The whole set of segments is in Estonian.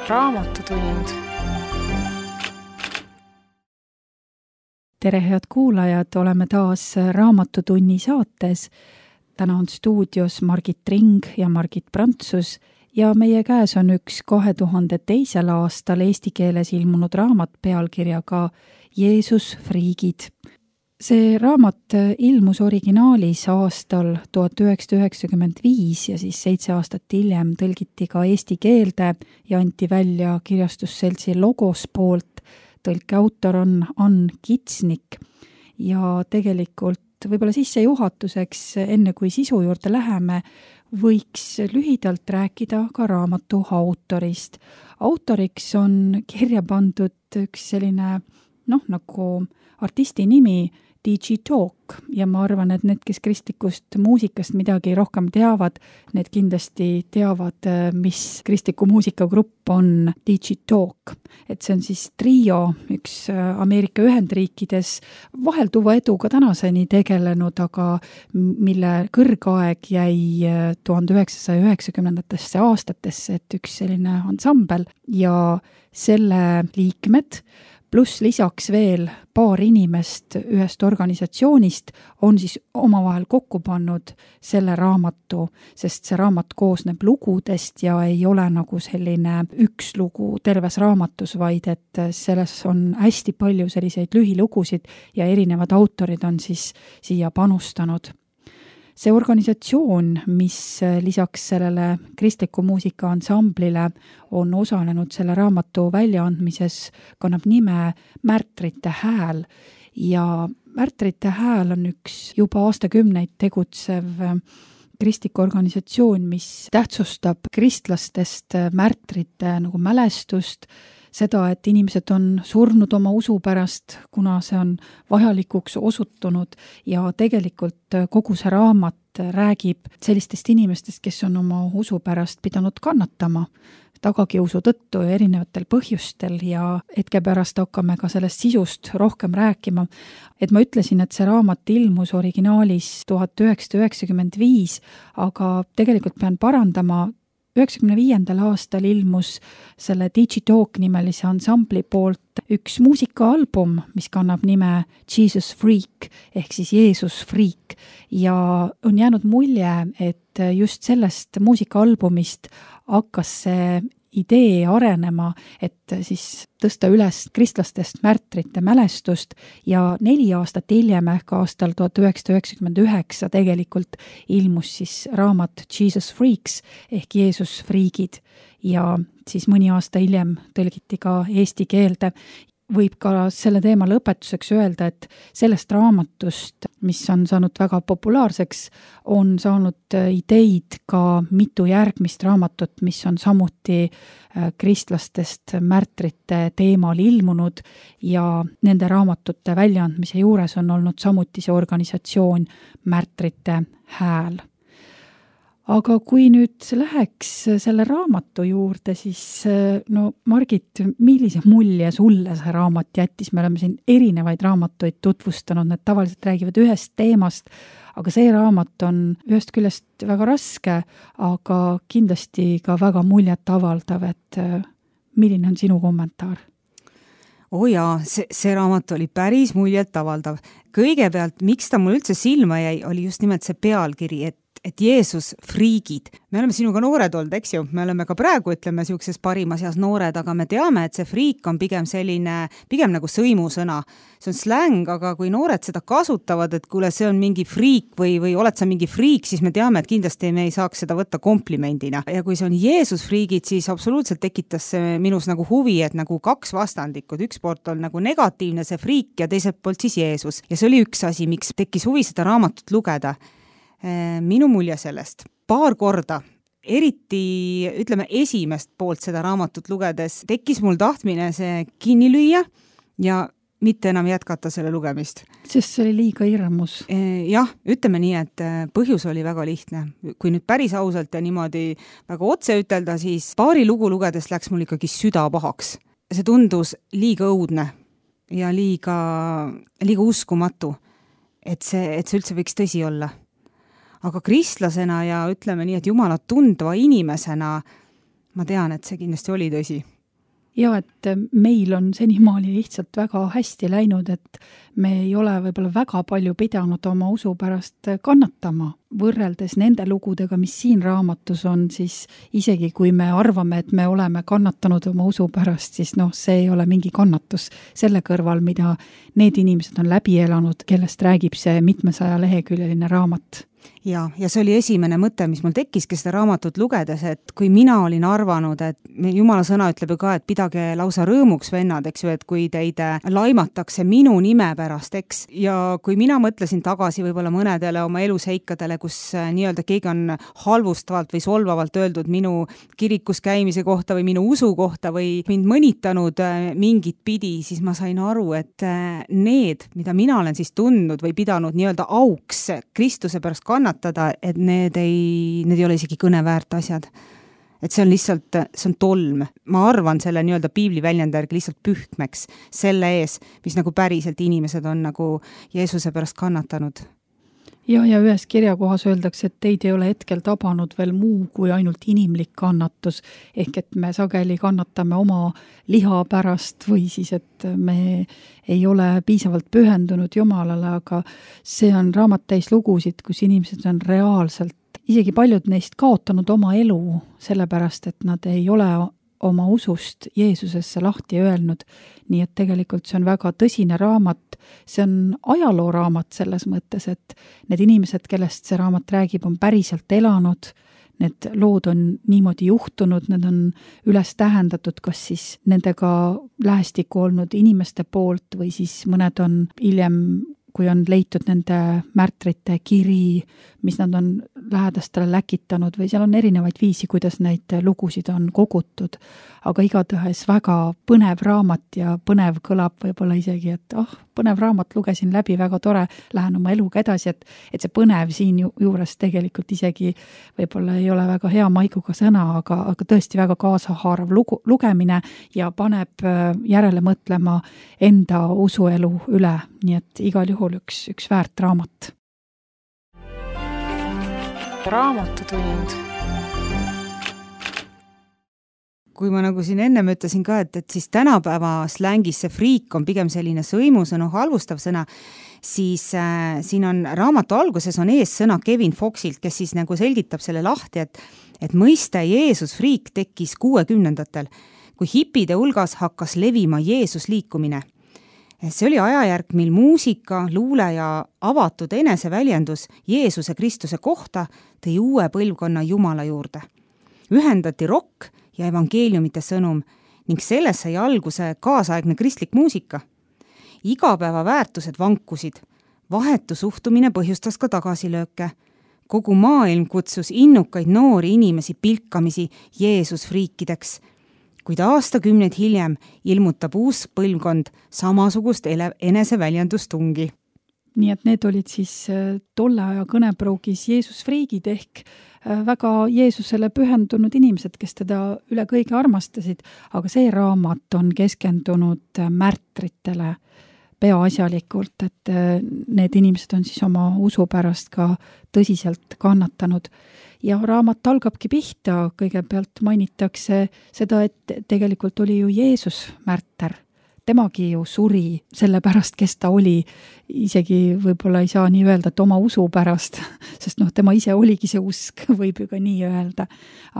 Raamatutund. Tere, head kuulajad, oleme taas Raamatutunni saates. Täna on stuudios Margit Ring ja Margit Prantsus ja meie käes on üks 2002. aastal eesti keeles ilmunud raamat pealkirjaga Jeesus friigid. See raamat ilmus originaalis aastal 1995 ja siis 7 aastat hiljem tõlgiti ka eesti keelde ja anti välja kirjastusseltsi Logos poolt. Tõlke autor on Ann Kitsnik ja tegelikult võib-olla sissejuhatuseks, enne kui sisu juurde läheme, võiks lühidalt rääkida ka raamatu autorist. Autoriks on kirja pandud üks selline, nagu artisti nimi, DJ Talk, ja ma arvan, et need, kes kristlikust muusikast midagi rohkem teavad, need kindlasti teavad, mis kristliku muusikagrupp on DJ Talk. Et see on siis trio, üks Ameerika Ühendriikides vahelduva eduga tänaseni tegelenud, aga mille kõrgaeg jäi 1990. aastatesse, et üks selline ansambel ja selle liikmed pluss lisaks veel paar inimest ühest organisatsioonist on siis omavahel kokku pannud selle raamatu, sest see raamat koosneb lugudest ja ei ole nagu selline üks lugu terves raamatus, vaid et selles on hästi palju selliseid lühilugusid ja erinevad autorid on siis siia panustanud. See organisatsioon, mis lisaks sellele kristliku muusika ansamblile on osalenud selle raamatu väljaandmises, kannab nime Märtrite hääl ja Märtrite hääl on üks juba aastakümneid tegutsev kristlik organisatsioon, mis tähtsustab kristlastest märtrite nagu mälestust, seda, et inimesed on surnud oma usu pärast, kuna see on vajalikuks osutunud ja tegelikult kogu see raamat räägib sellistest inimestest, kes on oma usu pärast pidanud kannatama tagakiusu tõttu ja erinevatel põhjustel ja hetke pärast hakkame ka sellest sisust rohkem rääkima. Et ma ütlesin, et see raamat ilmus originaalis 1995, aga tegelikult pean parandama, 1995. aastal ilmus selle Digitalk nimelise ansambli poolt üks muusikaalbum, mis kannab nime Jesus Freak ehk siis Jeesus friik ja on jäänud mulje, et just sellest muusikaalbumist hakkas see idee arenema, et siis tõsta üles kristlastest märtrite mälestust ja 4 aastat hiljem ehk aastal 1999 tegelikult ilmus siis raamat Jesus Freaks ehk Jeesus friigid ja siis mõni aasta hiljem tõlgiti ka eesti keelde. Võib ka selle teema lõpetuseks öelda, et sellest raamatust, mis on saanud väga populaarseks, on saanud ideid ka mitu järgmist raamatut, mis on samuti kristlastest märtrite teemal ilmunud ja nende raamatute väljaandmise juures on olnud samuti see organisatsioon Märtrite hääl. Aga kui nüüd läheks selle raamatu juurde, siis Margit, millise mulje sulle see raamat jättis? Me oleme siin erinevaid raamatuid tutvustanud, need tavaliselt räägivad ühest teemast, aga see raamat on ühest küljest väga raske, aga kindlasti ka väga muljet avaldav, et milline on sinu kommentaar? Jaa, see raamat oli päris muljet avaldav. Kõigepealt, miks ta mul üldse silma jäi, oli just nimelt see pealkiri, et Jeesus friigid. Me oleme sinuga noored olnud, eks ju? Me oleme ka praegu, ütleme, siukses parimas eas noored, aga me teame, et see friik on pigem nagu sõimusõna. See on släng, aga kui noored seda kasutavad, et kuule, see on mingi friik või oled sa mingi friik, siis me teame, et kindlasti me ei saaks seda võtta komplimendina. Ja kui see on Jeesus friigid, siis absoluutselt tekitas see minus nagu huvi, et nagu 2 vastandikud. Üks poolt on nagu negatiivne see friik ja teiselt poolt siis Jeesus. Ja see oli üks asi, miks tekkis huvi seda raamatut lugeda. Minu mulje sellest. Paar korda, eriti ütleme esimest poolt seda raamatut lugedes, tekkis mul tahtmine see kinni lüüa ja mitte enam jätkata selle lugemist. Sest see oli liiga hirmus. Jah, ütleme nii, et põhjus oli väga lihtne. Kui nüüd päris ausalt ja niimoodi väga otse ütelda, siis paari lugu lugedes läks mul ikkagi süda pahaks. See tundus liiga õudne ja liiga uskumatu, et see üldse võiks tõsi olla. Aga kristlasena ja ütleme nii, et Jumalat tundva inimesena ma tean, et see kindlasti oli tõsi. Ja et meil on senimaali lihtsalt väga hästi läinud, et me ei ole võib-olla väga palju pidanud oma usu pärast kannatama. Võrreldes nende lugudega, mis siin raamatus on, siis isegi kui me arvame, et me oleme kannatanud oma usu pärast, siis see ei ole mingi kannatus selle kõrval, mida need inimesed on läbi elanud, kellest räägib see mitmesaja leheküljeline raamat. Ja see oli esimene mõte, mis mul tekkiski seda raamatut lugedes, et kui mina olin arvanud, et Jumala sõna ütleb ju ka, et pidage lausa rõõmuks, vennad, eks ju, et kui teid laimatakse minu nime pärast, eks, ja kui mina mõtlesin tagasi võib-olla mõnedele oma eluseikadele, kus nii-öelda keegi on halvustavalt või solvavalt öeldud minu kirikus käimise kohta või minu usu kohta või mind mõnitanud mingit pidi, siis ma sain aru, et need, mida mina olen siis tundnud või pidanud nii-öelda auks Kristuse pärast kannatada, et need ei ole isegi kõne väärt asjad. Et see on lihtsalt, see on tolm. Ma arvan selle nii-öelda piibli väljendärgi lihtsalt pühkmeks selle ees, mis nagu päriselt inimesed on nagu Jeesuse pärast kannatanud. Ja ühes kirjakohas öeldakse, et teid ei ole hetkel tabanud veel muu kui ainult inimlik kannatus, ehk et me sageli kannatame oma liha pärast või siis, et me ei ole piisavalt pühendunud Jumalale, aga see on raamat täis lugusid, kus inimesed on reaalselt, isegi paljud neist kaotanud oma elu, sellepärast, et nad ei ole oma usust Jeesusesse lahti öelnud. Nii et tegelikult see on väga tõsine raamat, see on ajalooraamat selles mõttes, et need inimesed, kellest see raamat räägib, on päriselt elanud, need lood on niimoodi juhtunud, need on üles tähendatud, kas siis nendega lähestikku olnud inimeste poolt või siis mõned on hiljem, kui on leitud nende märtrite kiri, mis nad on lähedastele läkitanud või seal on erinevaid viisi, kuidas neid lugusid on kogutud. Aga igatahes väga põnev raamat ja põnev kõlab võib-olla isegi, et põnev raamat, lugesin läbi, väga tore, lähen oma eluga edasi, et see põnev siin juures tegelikult isegi võib-olla ei ole väga hea maiguga sõna, aga tõesti väga kaasahaarav lugemine ja paneb järele mõtlema enda usuelu üle, nii et igal juhul üks väärt raamat. Raamatutund. Kui ma nagu siin ennem ütlesin ka, et siis tänapäeva slängis see friik on pigem selline sõimusõnu, halvustav sõna, siis siin on raamatu alguses on ees sõna Kevin Foxilt, kes siis nagu selgitab selle lahti, et mõiste Jeesus friik tekkis 60-ndatel, kui hipide hulgas hakkas levima Jeesus liikumine. See oli ajajärk, mil muusika, luule ja avatud eneseväljendus Jeesuse Kristuse kohta tõi uue põlvkonna Jumala juurde. Ühendati rokk ja evangeeliumite sõnum ning selles sai alguse kaasaegne kristlik muusika. Igapäeva väärtused vankusid, vahetu suhtumine põhjustas ka tagasilööke. Kogu maailm kutsus innukaid noori inimesi pilkamisi Jeesus friikideks, kuid aastakümneid hiljem ilmutab uus põlvkond samasugust eneseväljendustungi. Nii et need olid siis tolle aja kõnepruugis Jeesus friigid ehk väga Jeesusele pühendunud inimesed, kes teda üle kõige armastasid, aga see raamat on keskendunud märtritele peaasjalikult, et need inimesed on siis oma usu pärast ka tõsiselt kannatanud. Ja raamat algabki pihta, kõigepealt mainitakse seda, et tegelikult oli ju Jeesus märter. Temagi ju suri selle pärast, kes ta oli, isegi võib-olla ei saa nii öelda, et oma usu pärast, sest tema ise oligi see usk, võib ju ka nii öelda.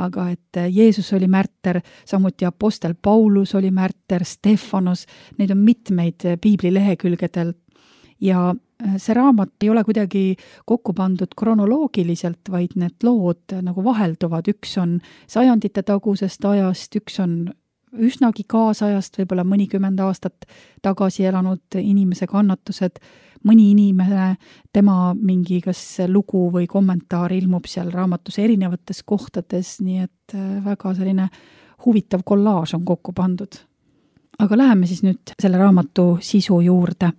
Aga et Jeesus oli märter, samuti apostel Paulus oli märter, Stefanos, neid on mitmeid piibli lehekülgedel ja see raamat ei ole kuidagi kokku pandud kronoloogiliselt, vaid need lood nagu vahelduvad, üks on sajandite tagusest ajast, üks on üsnagi kaasajast, võib-olla mõnikümmend aastat tagasi elanud inimese kannatused, mõni inimene, tema mingi kas lugu või kommentaar ilmub seal raamatus erinevates kohtades, nii et väga selline huvitav kollaaž on kokku pandud. Aga läheme siis nüüd selle raamatu sisu juurde.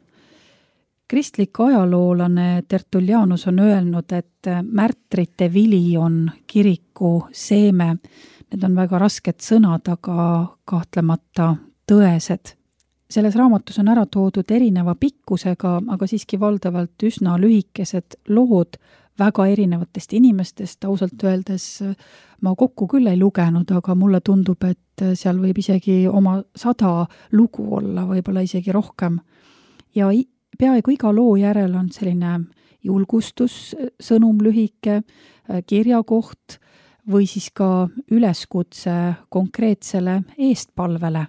Kristlik ajaloolane Tertullianus on öelnud, et märtrite vili on kiriku seeme. Need on väga rasked sõnad, aga kahtlemata tõesed. Selles raamatus on ära toodud erineva pikkusega, aga siiski valdavalt üsna lühikesed lood väga erinevatest inimestest, ausalt öeldes ma kokku küll ei lugenud, aga mulle tundub, et seal võib isegi oma 100 lugu olla, võib-olla isegi rohkem. Ja peaaegu iga loo järel on selline julgustussõnum lühike, kirjakoht või siis ka üleskutse konkreetsele eestpalvele.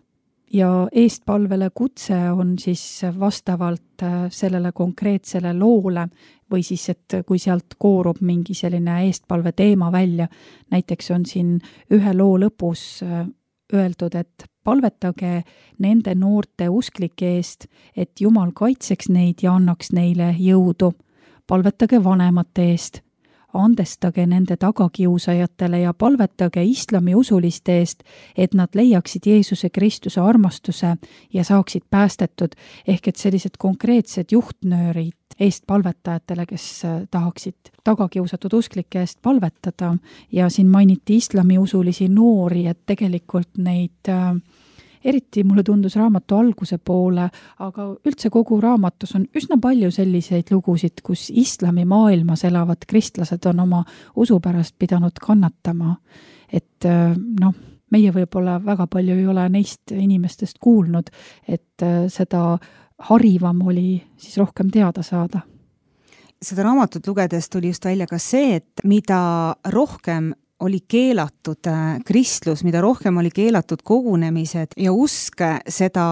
Ja eestpalvele kutse on siis vastavalt sellele konkreetsele loole või siis, et kui sealt koorub mingi selline eestpalve teema välja, näiteks on siin ühe loo lõpus öeldud, et palvetage nende noorte usklike eest, et Jumal kaitseks neid ja annaks neile jõudu. Palvetage vanemate eest. Andestage nende tagakiusajatele ja palvetage islami usuliste eest, et nad leiaksid Jeesuse Kristuse armastuse ja saaksid päästetud, ehk et sellised konkreetsed juhtnöörid eestpalvetajatele, kes tahaksid tagakiusatud usklike eest palvetada. Ja siin mainiti islami usulisi noori, et tegelikult neid eriti mulle tundus raamatu alguse poole, aga üldse kogu raamatus on üsna palju selliseid lugusid, kus islami maailmas elavad kristlased on oma usu pärast pidanud kannatama. Et meie võib-olla väga palju ei ole neist inimestest kuulnud, et seda harivam oli siis rohkem teada saada. Seda raamatut lugedes tuli just välja ka see, et mida rohkem oli keelatud kristlus, mida rohkem oli keelatud kogunemised ja usk, seda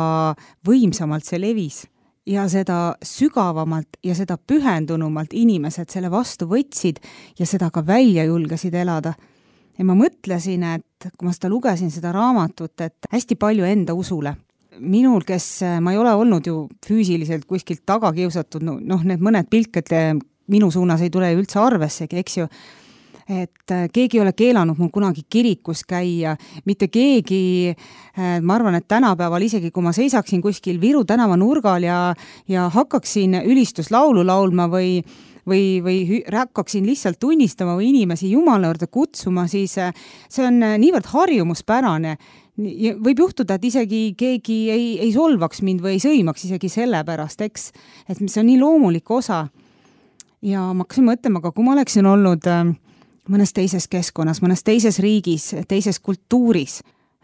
võimsamalt see levis ja seda sügavamalt ja seda pühendunumalt inimesed selle vastu võtsid ja seda ka välja julgesid elada. Ja ma mõtlesin, et kui ma seda lugesin, seda raamatut, et hästi palju enda usule. Minul, kes ma ei ole olnud ju füüsiliselt kuskilt taga kiusatud, need mõned pilked minu suunas ei tule üldse arvessegi, eks ju, et keegi ei ole keelanud mul kunagi kirikus käia, mitte keegi, ma arvan, et tänapäeval isegi kui ma seisaksin kuskil Viru tänava nurgal ja hakkaksin ülistuslaulu laulma või hakkaksin lihtsalt tunnistama või inimesi Jumala juurde kutsuma, siis see on niivõrd harjumuspärane. Võib juhtuda, et isegi keegi ei solvaks mind või ei sõimaks isegi selle pärast, eks, et see on nii loomulik osa. Ja ma hakkasin mõtlema, aga kui ma oleksin olnud mõnes teises keskkonnas, mõnes teises riigis, teises kultuuris.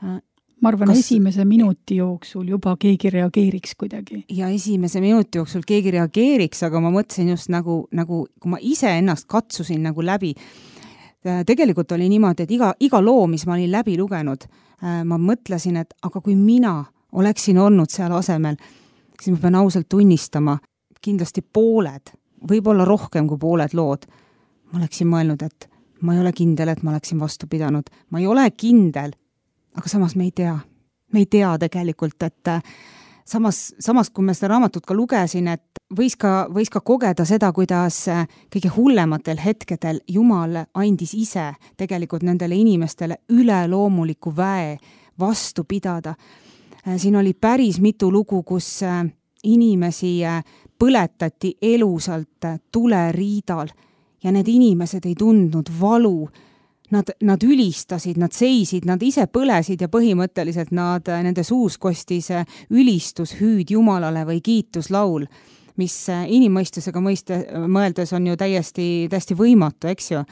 Ma arvan, esimese minuti jooksul juba keegi reageeriks kuidagi. Ja esimese minuti jooksul keegi reageeriks, aga ma mõtlesin just nagu kui ma ise ennast katsusin nagu läbi. Tegelikult oli niimoodi, et iga loo, mis ma olin läbi lugenud, ma mõtlesin, et aga kui mina oleksin olnud seal asemel, siis ma pean ausalt tunnistama, kindlasti pooled, võib-olla rohkem kui pooled lood, ma oleksin mõelnud, et ma ei ole kindel, et ma oleksin vastu pidanud. Ma ei ole kindel, aga samas me ei tea. Me ei tea tegelikult, et samas kui me seda raamatut ka lugesin, et võis ka kogeda seda, kuidas kõige hullematel hetkedel Jumal andis ise tegelikult nendele inimestele üleloomuliku väe vastu pidada. Siin oli päris mitu lugu, kus inimesi põletati elusalt tuleriidal. Ja need inimesed ei tundnud valu, nad ülistasid, nad seisid, nad ise põlesid ja põhimõtteliselt nende suus kostis ülistus hüüd Jumalale või kiituslaul, mis inimmõistusega mõeldes on ju täiesti võimatu, eks ju.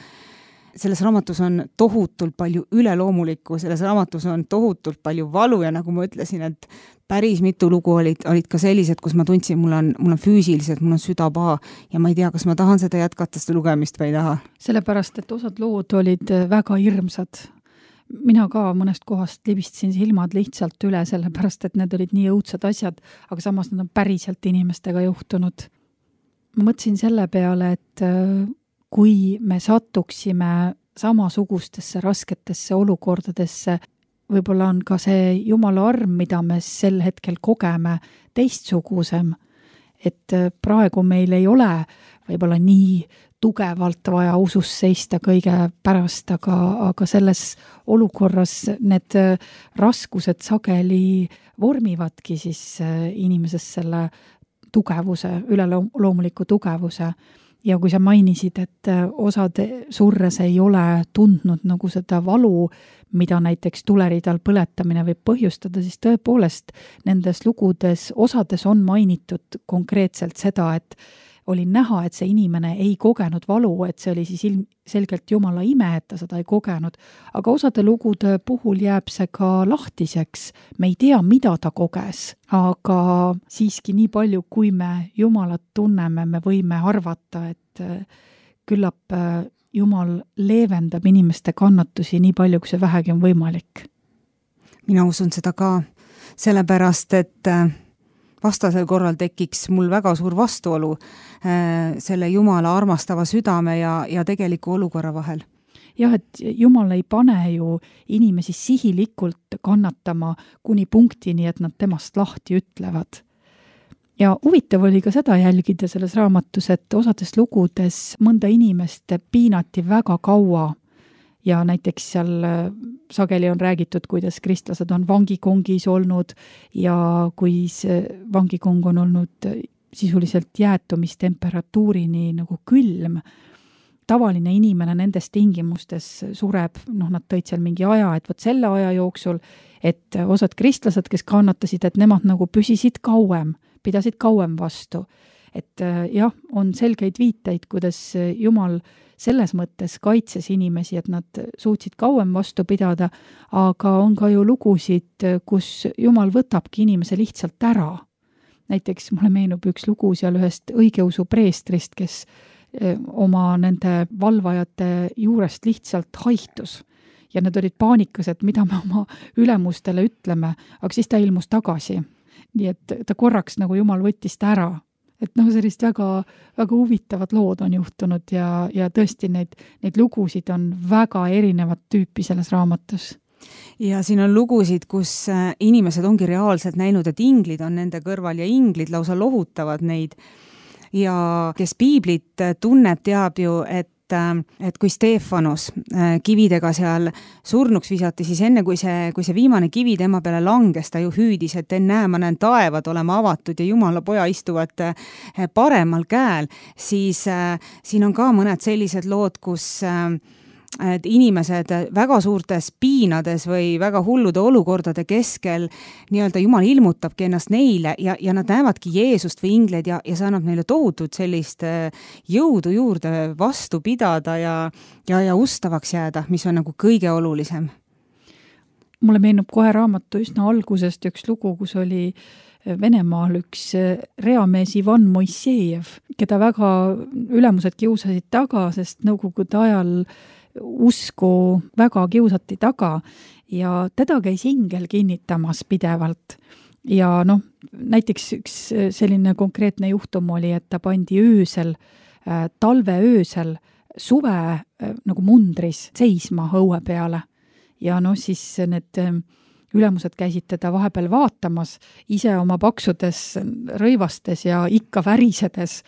Selles raamatus on tohutult palju üleloomulikku, selles raamatus on tohutult palju valu ja nagu ma ütlesin, et päris mitu lugu olid ka sellised, kus ma tundsin, mul on füüsiliselt, mul on süda paha ja ma ei tea, kas ma tahan seda jätkata, seda lugemist või ei taha. Sellepärast, et osad lood olid väga hirmsad. Mina ka mõnest kohast libistasin silmad lihtsalt üle, sellepärast, et need olid nii õudsad asjad, aga samas nad on päriselt inimestega juhtunud. Ma mõtlesin selle peale, et kui me satuksime samasugustesse rasketesse olukordadesse, võib-olla on ka see Jumala arm, mida me sel hetkel kogeme, teistsugusem. Et praegu meil ei ole võib-olla nii tugevalt vaja usus seista kõige pärast, aga selles olukorras need raskused sageli vormivadki siis inimeses selle tugevuse, üleloomuliku tugevuse. Ja kui sa mainisid, et osad surres ei ole tundnud nagu seda valu, mida näiteks tuleriidal põletamine võib põhjustada, siis tõepoolest nendes lugudes osades on mainitud konkreetselt seda, et oli näha, et see inimene ei kogenud valu, et see oli siis ilmselgelt Jumala ime, et ta seda ei kogenud. Aga osade lugude puhul jääb see ka lahtiseks. Me ei tea, mida ta koges, aga siiski nii palju, kui me Jumalat tunneme, me võime arvata, et küllap Jumal leevendab inimeste kannatusi nii palju, kui see vähegi on võimalik. Mina usun seda ka, sellepärast, et vastasel korral tekiks mul väga suur vastuolu selle Jumala armastava südame ja tegeliku olukorra vahel. Jah, et Jumal ei pane ju inimesi sihilikult kannatama kuni punktini, et nad temast lahti ütlevad. Ja huvitav oli ka seda jälgida selles raamatus, et osades lugudes mõnda inimest piinati väga kaua ja näiteks seal sageli on räägitud, kuidas kristlased on vangikongis olnud ja kui see vangikong on olnud sisuliselt jäätumistemperatuurini nagu külm. Tavaline inimene nendes tingimustes sureb, nad tõid seal mingi aja, et võt selle aja jooksul, et osad kristlased, kes kannatasid, et nemad nagu püsisid kauem, pidasid kauem vastu. Et jah, on selgeid viiteid, kuidas Jumal selles mõttes kaitses inimesi, et nad suutsid kauem vastu pidada, aga on ka ju lugusid, kus Jumal võtabki inimese lihtsalt ära. Näiteks mulle meenub üks lugu seal ühest õigeusu preestrist, kes oma nende valvajate juurest lihtsalt haihtus. Ja nad olid paanikas, et mida me oma ülemustele ütleme, aga siis ta ilmus tagasi. Nii et ta korraks nagu Jumal võttis ta ära. Et sellist väga, väga huvitavad lood on juhtunud ja tõesti neid lugusid on väga erinevat tüüpi selles raamatus. Ja siin on lugusid, kus inimesed ongi reaalselt näinud, et inglid on nende kõrval ja inglid lausa lohutavad neid. Ja kes piiblit tunneb, teab ju, et kui Stefanus kividega seal surnuks visati, siis enne kui see viimane kivi tema peale langes, ta ju hüüdis, et ennäe, ma näen taevad olema avatud ja Jumala poja istuvad paremal käel, siis siin on ka mõned sellised lood, kus et inimesed väga suurtes piinades või väga hullude olukordade keskel nii-öelda Jumal ilmutabki ennast neile ja nad näevadki Jeesust või ingleid ja see annab neile tohutut sellist jõudu juurde vastu pidada ja ustavaks jääda, mis on nagu kõige olulisem. Mulle meenub kohe raamatu üsna algusest üks lugu, kus oli Venemaal üks reamees Ivan Moisejev, keda väga ülemused kiusasid taga, sest nõukogude ajal usku väga kiusati taga ja teda käis ingel kinnitamas pidevalt. Ja näiteks üks selline konkreetne juhtum oli, et ta pandi öösel, talveöösel suve nagu mundris seisma õue peale. Ja siis need ülemused käisid teda vahepeal vaatamas, ise oma paksudes rõivastes ja ikka värisedes,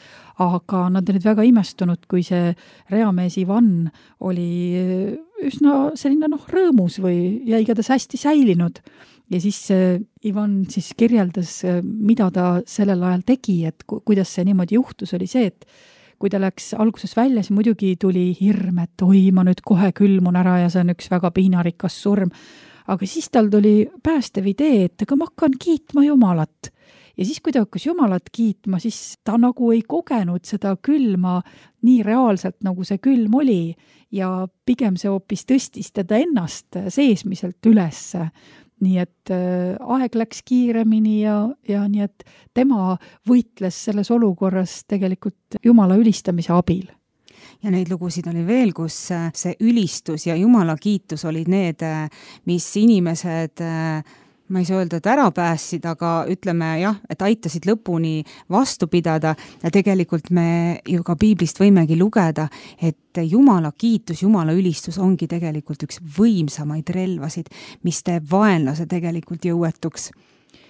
aga nad olid väga imestunud, kui see reamees Ivan oli üsna selline rõõmus või ja igatahes hästi säilinud. Ja siis Ivan siis kirjeldas, mida ta sellel ajal tegi, et kuidas see niimoodi juhtus, oli see, et kui ta läks alguses välja, siis muidugi tuli hirm, et oi, ma nüüd kohe külmun ära ja see on üks väga piinarikas surm. Aga siis tal tuli päästev idee, et aga ma hakkan kiitma Jumalat. Ja siis, kui ta hakkas Jumalat kiitma, siis ta nagu ei kogenud seda külma nii reaalselt, nagu see külm oli. Ja pigem see hoopis tõstis teda ennast seesmiselt ülesse. Nii et aeg läks kiiremini ja nii et tema võitles selles olukorras tegelikult Jumala ülistamise abil. Ja neid lugusid oli veel, kus see ülistus ja Jumala kiitus olid need, mis inimesed, ma ei saa öelda, et ära päässid, aga ütleme jah, et aitasid lõpuni vastu pidada ja tegelikult me ju ka piiblist võimegi lugeda, et Jumala kiitus, Jumala ülistus ongi tegelikult üks võimsamaid relvasid, mis teeb vaenlase tegelikult jõuetuks.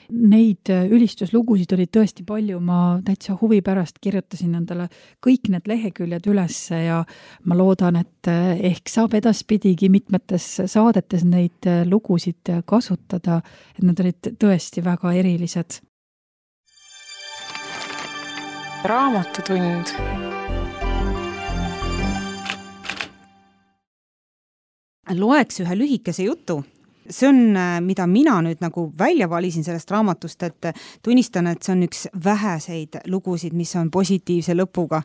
Neid ülistuslugusid oli tõesti palju, ma täitsa huvi pärast kirjutasin endale kõik need leheküljed ülesse ja ma loodan, et ehk saab edaspidigi mitmetes saadetes neid lugusid kasutada, et need olid tõesti väga erilised. Raamatutund. Loeks ühe lühikese jutu see on, mida mina nüüd nagu välja valisin sellest raamatust, et tunnistan, et see on üks väheseid lugusid, mis on positiivse lõpuga.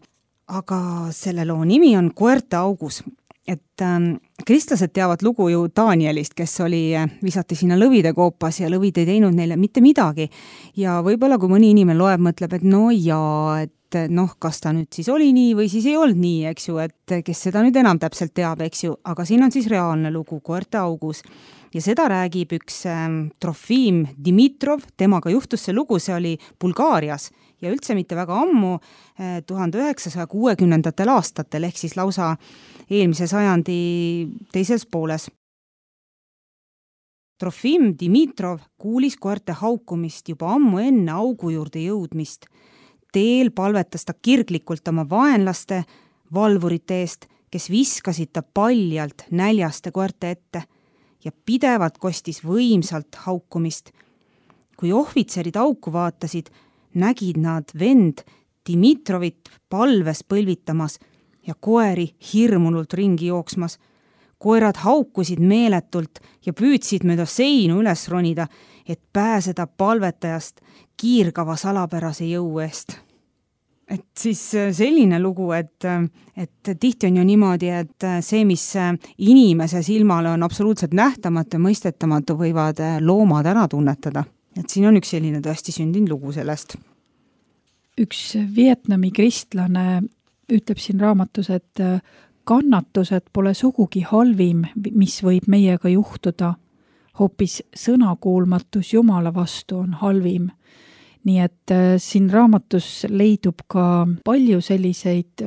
Aga selle loo nimi on Koerte augus. Et kristlased teavad lugu ju Danielist, kes visati sinna lõvide koopas ja lõvid ei teinud neile mitte midagi. Ja võib-olla kui mõni inimene loeb, mõtleb, et no jaa, et kas ta nüüd siis oli nii või siis ei olnud nii, eks ju, et kes seda nüüd enam täpselt teab, eks ju, aga siin on siis reaalne lugu Koerte augus. Ja seda räägib üks Trofim Dimitrov, temaga juhtus see lugu, see oli Bulgaarias ja üldse mitte väga ammu 1960. aastatel, ehk siis lausa eelmise sajandi teises pooles. Trofim Dimitrov kuulis koerte haukumist juba ammu enne augu juurde jõudmist. Teel palvetas ta kirglikult oma vaenlaste, valvurite eest, kes viskasid ta paljalt näljaste koerte ette ja pidevalt kostis võimsalt haukumist. Kui ohvitserid auku vaatasid, nägid nad vend Dimitrovit palves põlvitamas ja koeri hirmunult ringi jooksmas. Koerad haukusid meeletult ja püüdsid mööda seinu üles ronida, et pääseda palvetajast kiirgava salapärase jõu eest. Et siis selline lugu, et tihti on ju niimoodi, et see, mis inimese silmale on absoluutselt nähtamatu ja mõistetamatu, võivad loomad ära tunnetada. Et siin on üks selline tõesti sündinud lugu sellest. Üks Vietnami kristlane ütleb siin raamatus, et kannatused pole sugugi halvim, mis võib meiega juhtuda. Hoopis sõnakuulmatus Jumala vastu on halvim. Nii et siin raamatus leidub ka palju selliseid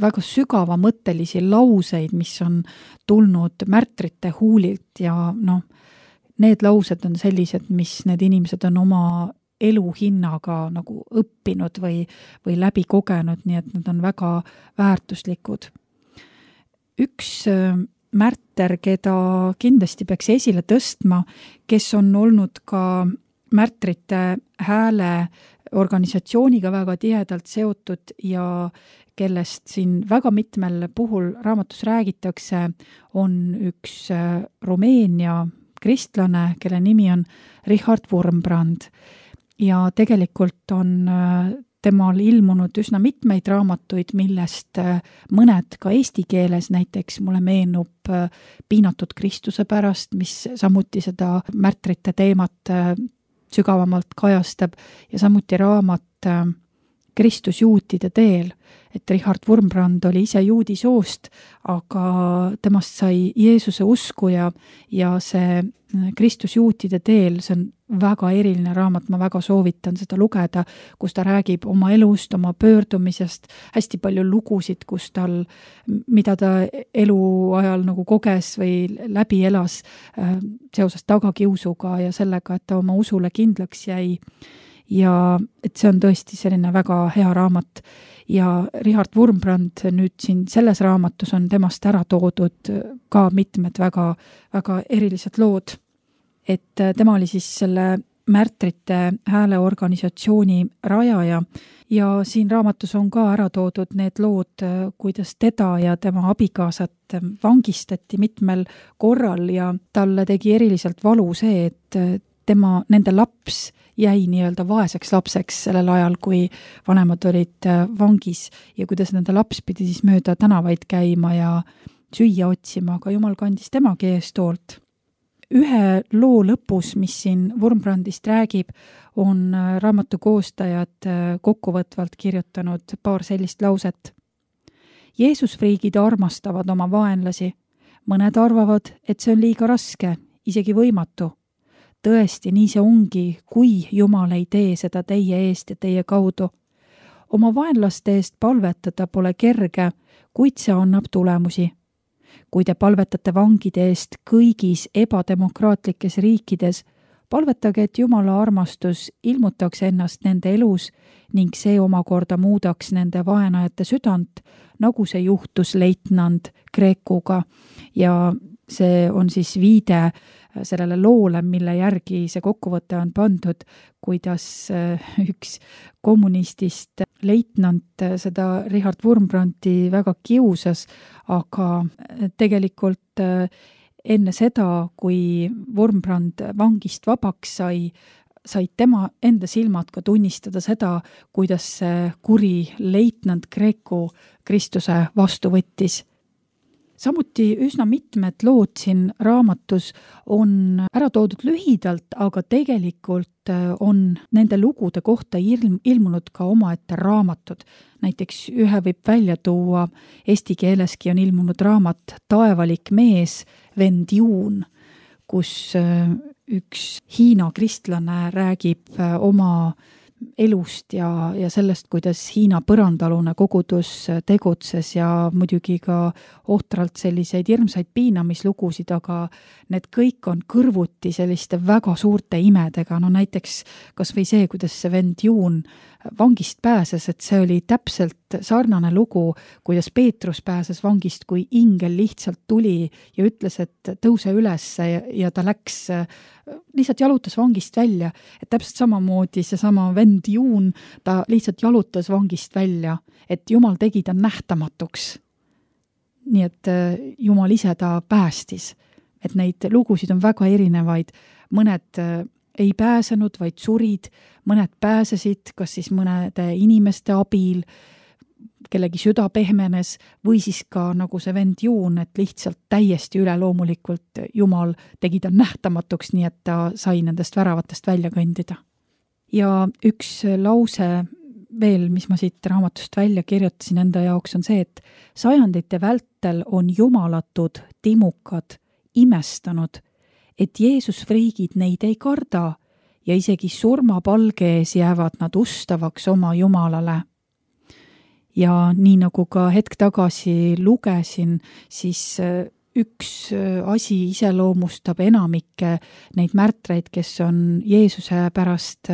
väga sügavamõttelisi lauseid, mis on tulnud märtrite huulilt ja need laused on sellised, mis need inimesed on oma elu hinnaga nagu õppinud või läbi kogenud, nii et nad on väga väärtuslikud. Üks märter, keda kindlasti peaks esile tõstma, kes on olnud ka märtrite hääle organisatsiooniga väga tihedalt seotud ja kellest siin väga mitmel puhul raamatus räägitakse, on üks Rumeenia kristlane, kelle nimi on Richard Wurmbrand. Ja tegelikult on temal ilmunud üsna mitmeid raamatuid, millest mõned ka eesti keeles, näiteks mulle meenub Piinatud Kristuse pärast, mis samuti seda märtrite teemat sügavamalt kajastab ja samuti raamat Kristus juutide teel, et Richard Wurmbrand oli ise juudi soost, aga temast sai Jeesuse uskuja ja see Kristus juutide teel, see on väga eriline raamat, ma väga soovitan seda lugeda, kus ta räägib oma elust, oma pöördumisest, hästi palju lugusid, mida ta eluajal nagu koges või läbi elas seoses tagakiusuga ja sellega, et ta oma usule kindlaks jäi. Ja et see on tõesti selline väga hea raamat ja Richard Wurmbrand nüüd siin selles raamatus on temast ära toodud ka mitmed väga, väga erilised lood. Et tema oli siis selle märtrite hääleorganisatsiooni rajaja ja siin raamatus on ka ära toodud need lood, kuidas teda ja tema abikaasat vangistati mitmel korral ja talle tegi eriliselt valu see, et nende laps jäi nii-öelda vaeseks lapseks sellel ajal, kui vanemad olid vangis ja kuidas nende laps pidi siis mööda tänavaid käima ja süüa otsima, aga Jumal kandis temagi eestoolt. Ühe loo lõpus, mis siin Wurmbrandist räägib, on raamatu koostajad kokkuvõtvalt kirjutanud paar sellist lauset. Jeesusfriigid armastavad oma vaenlasi. Mõned arvavad, et see on liiga raske, isegi võimatu. Tõesti, nii see ongi, kui Jumal ei tee seda teie eest ja teie kaudu. Oma vaenlaste eest palvetada pole kerge, kuid see annab tulemusi. Kui te palvetate vangide eest kõigis ebademokraatlikes riikides, palvetage, et Jumala armastus ilmutaks ennast nende elus ning see omakorda muudaks nende vaenajate südant, nagu see juhtus leitnant Kreekuga. Ja see on siis viide sellele loole, mille järgi see kokkuvõte on pandud, kuidas üks kommunistist leitnant seda Richard Wurmbrandi väga kiusas, aga tegelikult enne seda, kui Wurmbrand vangist vabaks sai, said tema enda silmad ka tunnistada seda, kuidas see kuri leitnant Kreeku Kristuse vastu võttis. Samuti üsna mitmed lood siin raamatus on ära toodud lühidalt, aga tegelikult on nende lugude kohta ilmunud ka omaette raamatud. Näiteks ühe võib välja tuua, eesti keeleski on ilmunud raamat Taevalik mees, vend Juun, kus üks Hiina kristlane räägib oma elust ja sellest, kuidas Hiina põrandalune kogudus tegutses ja muidugi ka ohtralt selliseid hirmsaid piinamislugusid, aga need kõik on kõrvuti selliste väga suurte imedega. No näiteks kas või see, kuidas see vend Juun vangist pääses, et see oli täpselt sarnane lugu, kuidas Peetrus pääses vangist, kui ingel lihtsalt tuli ja ütles, et tõuse üles ja ta läks, lihtsalt jalutas vangist välja. Et täpselt samamoodi seesama vend Juun, ta lihtsalt jalutas vangist välja, et Jumal tegi ta nähtamatuks. Nii et Jumal ise ta päästis. Et neid lugusid on väga erinevaid. Mõned ei pääsenud, vaid surid, mõned pääsesid, kas siis mõnede inimeste abil, kellegi süda pehmenes, või siis ka nagu see vend Juun, et lihtsalt täiesti üleloomulikult Jumal tegi ta nähtamatuks, nii et ta sai nendest väravatest välja kõndida. Ja üks lause veel, mis ma siit raamatust välja kirjutasin enda jaoks, on see, et sajandite vältel on jumalatud timukad imestanud, et Jeesus friigid neid ei karda ja isegi surmapalge ees jäävad nad ustavaks oma Jumalale. Ja nii nagu ka hetk tagasi lugesin, siis üks asi iseloomustab enamikke neid märtreid, kes on Jeesuse pärast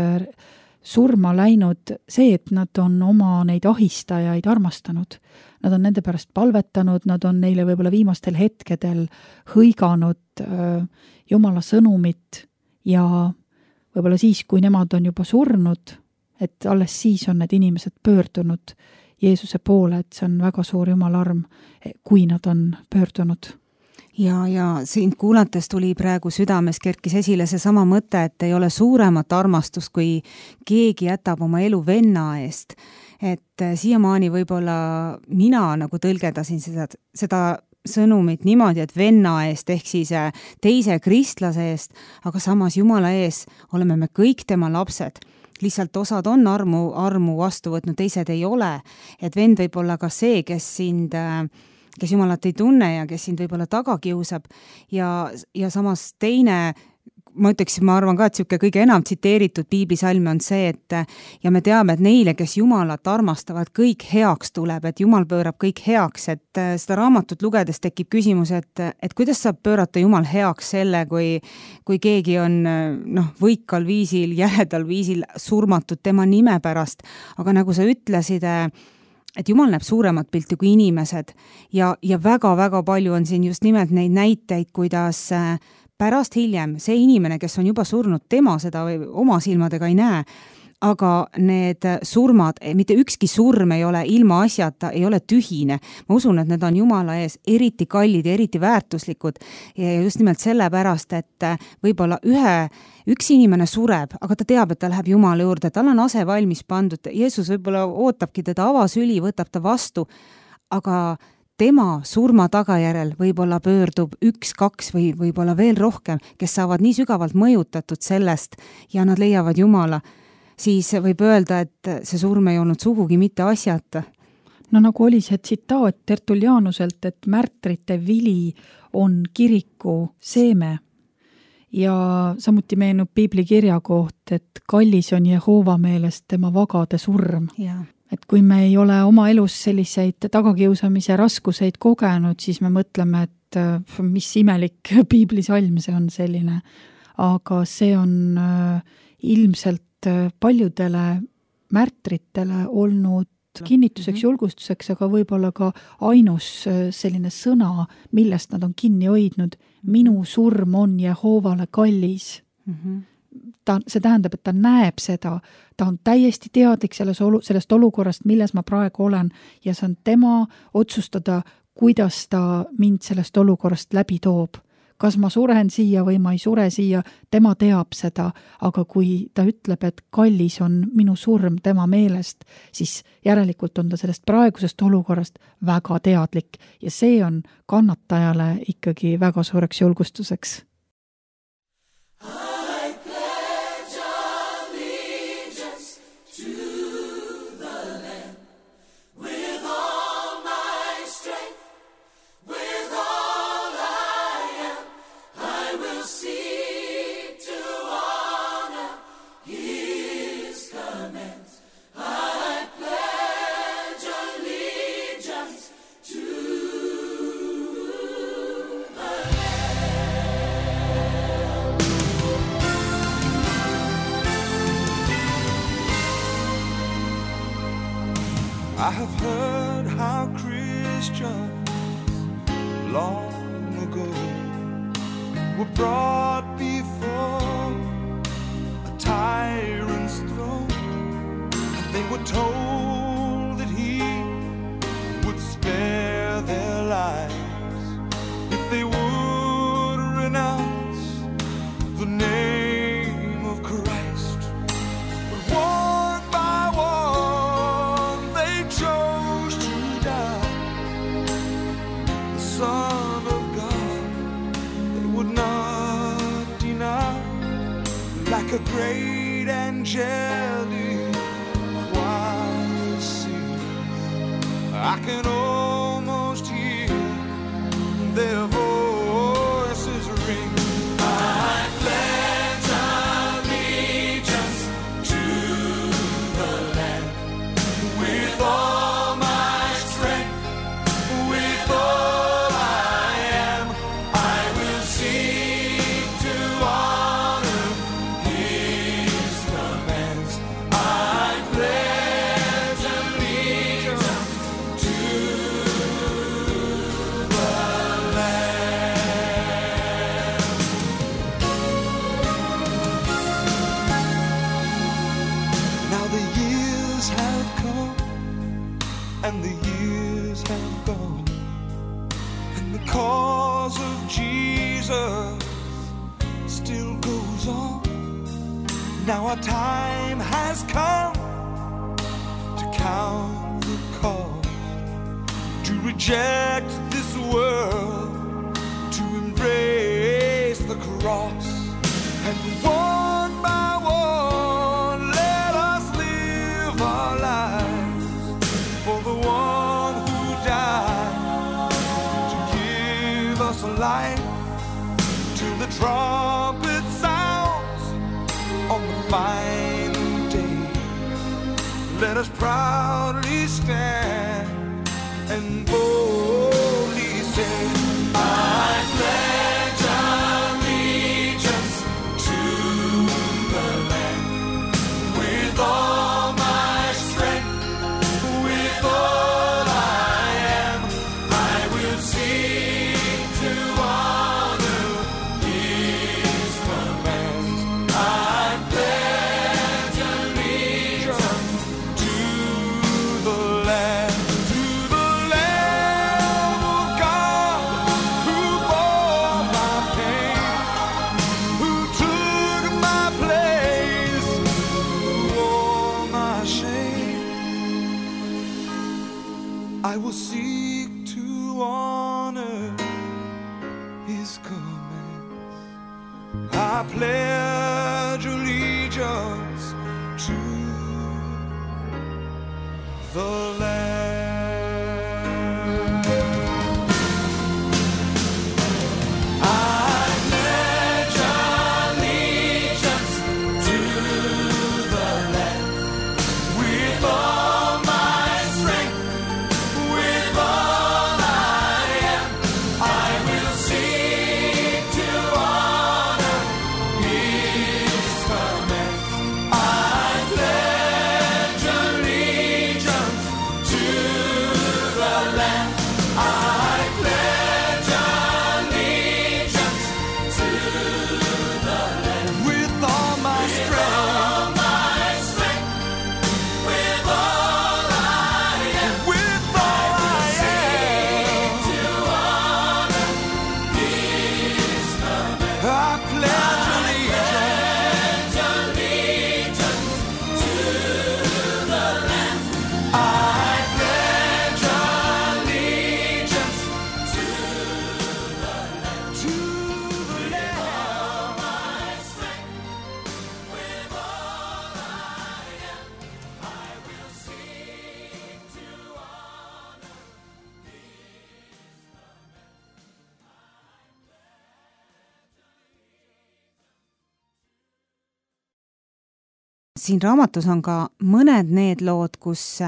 surma läinud, see, et nad on oma neid ahistajaid armastanud. Nad on nende pärast palvetanud, nad on neile võib-olla viimastel hetkedel hõiganud Jumala sõnumit ja võib-olla siis, kui nemad on juba surnud, et alles siis on need inimesed pöördunud Jeesuse poole, et see on väga suur Jumala arm, kui nad on pöördunud. Ja sind kuulates tuli praegu südames kerkis esile seesama mõte, et ei ole suuremat armastust, kui keegi jätab oma elu venna eest. Et siiamaani võib-olla mina nagu tõlgedasin seda sõnumit niimoodi, et venna eest ehk siis teise kristlase eest, aga samas Jumala ees oleme me kõik tema lapsed. Lihtsalt osad on armu vastu võtnud, teised ei ole. Et vend võib olla ka see, kes Jumalat ei tunne ja kes sind võib-olla taga kiusab ja samas teine, ma arvan ka, et siuke kõige enam tsiteeritud piiblisalme on see, et ja me teame, et neile, kes Jumalat armastavad, kõik heaks tuleb, et Jumal pöörab kõik heaks, et seda raamatut lugedes tekib küsimus, et kuidas saab pöörata Jumal heaks selle, kui keegi on võikal viisil, jäledal viisil surmatud tema nime pärast, aga nagu sa ütlesid, et Jumal näeb suuremat pilti kui inimesed ja väga-väga palju on siin just nimelt neid näiteid, kuidas pärast hiljem see inimene, kes on juba surnud, tema seda oma silmadega ei näe, aga need surmad, mitte ükski surm ei ole ilma asjata, ei ole tühine. Ma usun, et need on Jumala ees eriti kallid ja eriti väärtuslikud ja just nimelt sellepärast, et võib-olla üks inimene sureb, aga ta teab, et ta läheb Jumala juurde, tal on ase valmis pandud, Jeesus võib-olla ootabki teda avasüli, võtab ta vastu, aga tema surma tagajärel võib-olla pöördub 1-2 või võib-olla veel rohkem, kes saavad nii sügavalt mõjutatud sellest ja nad leiavad Jumala, siis võib öelda, et see surm ei olnud sugugi mitte asjata. No nagu oli see tsitaat Tertullianuselt, et märtrite vili on kiriku seeme ja samuti meenub piiblikirja koht, et kallis on Jehova meelest tema vagade surm. Et kui me ei ole oma elus selliseid tagakiusamise raskuseid kogenud, siis me mõtleme, et mis imelik piiblisalm see on selline. Aga see on ilmselt paljudele märtritele olnud kinnituseks, julgustuseks, aga võib-olla ka ainus selline sõna, millest nad on kinni hoidnud. Minu surm on Jehovale kallis. See tähendab, et ta näeb seda, ta on täiesti teadlik sellest olukorrast, milles ma praegu olen ja see on tema otsustada, kuidas ta mind sellest olukorrast läbi toob. kas ma suren siia või ma ei sure siia, tema teab seda, aga kui ta ütleb, et kallis on minu surm tema meelest, siis järelikult on ta sellest praegusest olukorrast väga teadlik ja see on kannatajale ikkagi väga suureks julgustuseks. I have heard how Christians long ago were brought before a tyrant's throne. They were told that he would spare their lives if they would renounce the name of Christ. But one by one they chose to die. The Son of God they would not deny. Like a great angelic choir sing, I can almost hear their voices ring. I pledge allegiance to the land with all my strength, with all I am. I will seek to honor His commands. I pledge allegiance to the land. Now the years have come and the years have gone, and the cause of Jesus still goes on. Now our time has come to count the cost, to reject this world, to embrace the cross, and one by one let us live our lives for the one who died to give us life till the trumpet sounds on the final day. Let us proudly stand and boldly say, I pledge allegiance to the land with all my strength, with all I am. I will seek to honor His commands. I pledge allegiance to the land, to the Lamb of God who bore my pain, who took my place, who wore my shame. I will seek to honor His commands. I pledge allegiance to the land. I pledge allegiance to the land with all my strength, with all I am. I will seek to honor His commands. I pledge allegiance to siin raamatus on ka mõned need lood, kus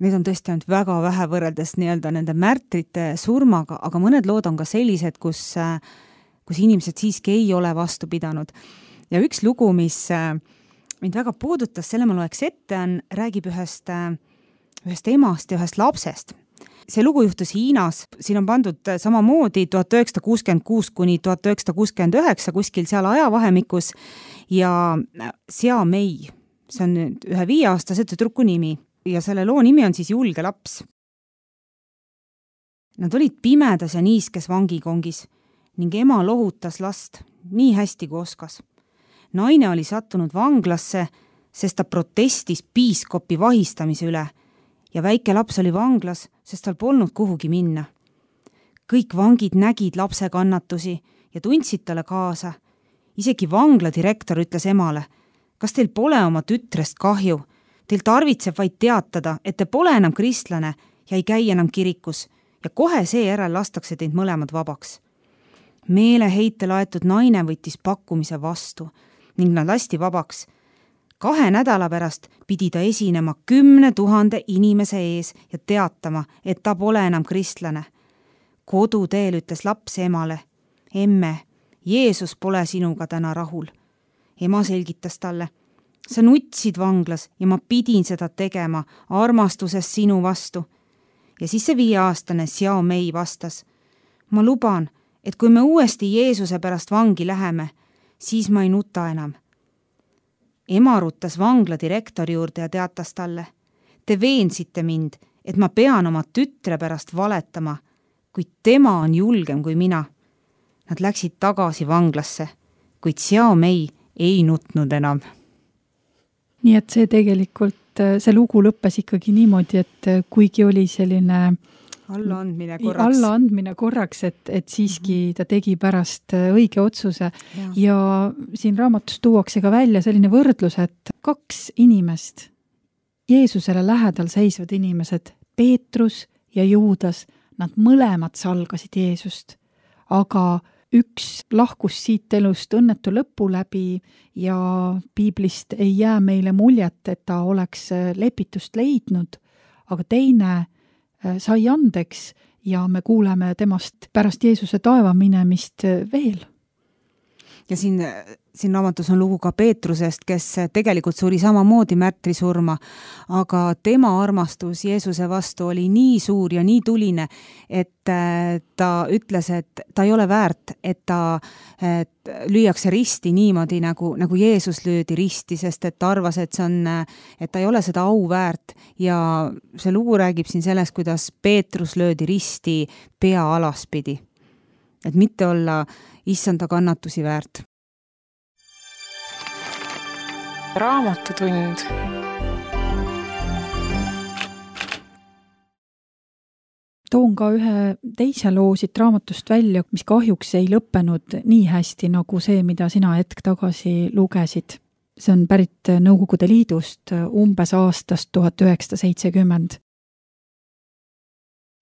need on tõesti ainult väga vähe võrreldes nii-öelda nende märtrite surmaga, aga mõned lood on ka sellised, kus inimesed siiski ei ole vastu pidanud. Ja üks lugu, mis mind väga puudutas, selle ma loeks ette, räägib ühest emast ja ühest lapsest. See lugu juhtus Hiinas, siin on pandud samamoodi 1966 kuni 1969 kuskil seal ajavahemikus ja Xiao Mei, see on nüüd ühe 5-aastase tüdruku nimi ja selle loo nimi on siis Julge laps. Nad olid pimedas ja niiskes vangikongis ning ema lohutas last nii hästi kui oskas. Naine oli sattunud vanglasse, sest ta protestis piiskopi vahistamise üle ja väike laps oli vanglas, sest tal polnud kuhugi minna. Kõik vangid nägid lapse kannatusi ja tundsid talle kaasa. Isegi vangla direktor ütles emale, kas teil pole oma tütrest kahju? Teil tarvitseb vaid teatada, et te pole enam kristlane ja ei käi enam kirikus ja kohe seejärel lastakse teid mõlemad vabaks. Meeleheite laetud naine võttis pakkumise vastu ning nad lasti vabaks. 2 nädala pärast pidi ta esinema 10 000 inimese ees ja teatama, et ta pole enam kristlane. Koduteel ütles laps emale, emme, Jeesus pole sinuga täna rahul. Ema selgitas talle, sa nutsid vanglas ja ma pidin seda tegema armastusest sinu vastu. Ja siis see 5-aastane Xiao Mei vastas, ma luban, et kui me uuesti Jeesuse pärast vangi läheme, siis ma ei nuta enam. Ema ruttas vangla direktori juurde ja teatas talle, te veensite mind, et ma pean oma tütre pärast valetama, kuid tema on julgem kui mina. Nad läksid tagasi vanglasse, kuid Xiao Mei ei nutnud enam. Nii et see tegelikult, see lugu lõppes ikkagi niimoodi, et kuigi oli selline allaandmine korraks, et siiski ta tegi pärast õige otsuse ja siin raamatus tuuakse ka välja selline võrdlus, et 2 inimest, Jeesusele lähedal seisvad inimesed, Peetrus ja Juudas, nad mõlemad salgasid Jeesust, aga üks lahkus siit elust õnnetu lõpu läbi ja piiblist ei jää meile muljet, et ta oleks lepitust leidnud, aga teine sai andeks ja me kuuleme temast pärast Jeesuse taeva minemist veel. Ja siin raamatus on lugu ka Peetrusest, kes tegelikult suri samamoodi märtrisurma, aga tema armastus Jeesuse vastu oli nii suur ja nii tuline, et ta ütles, et ta ei ole väärt, et ta lüüakse risti niimoodi, nagu Jeesus löödi risti, sest et ta arvas, et ta ei ole seda au väärt. Ja see lugu räägib siin sellest, kuidas Peetrus löödi risti pea alaspidi. Et mitte olla issanda kannatusi väärt. Raamatutund. Toon ka ühe teise loo siit raamatust välja, mis kahjuks ei lõppenud nii hästi nagu see, mida sina hetk tagasi lugesid. See on pärit Nõukogude Liidust umbes aastast 1970.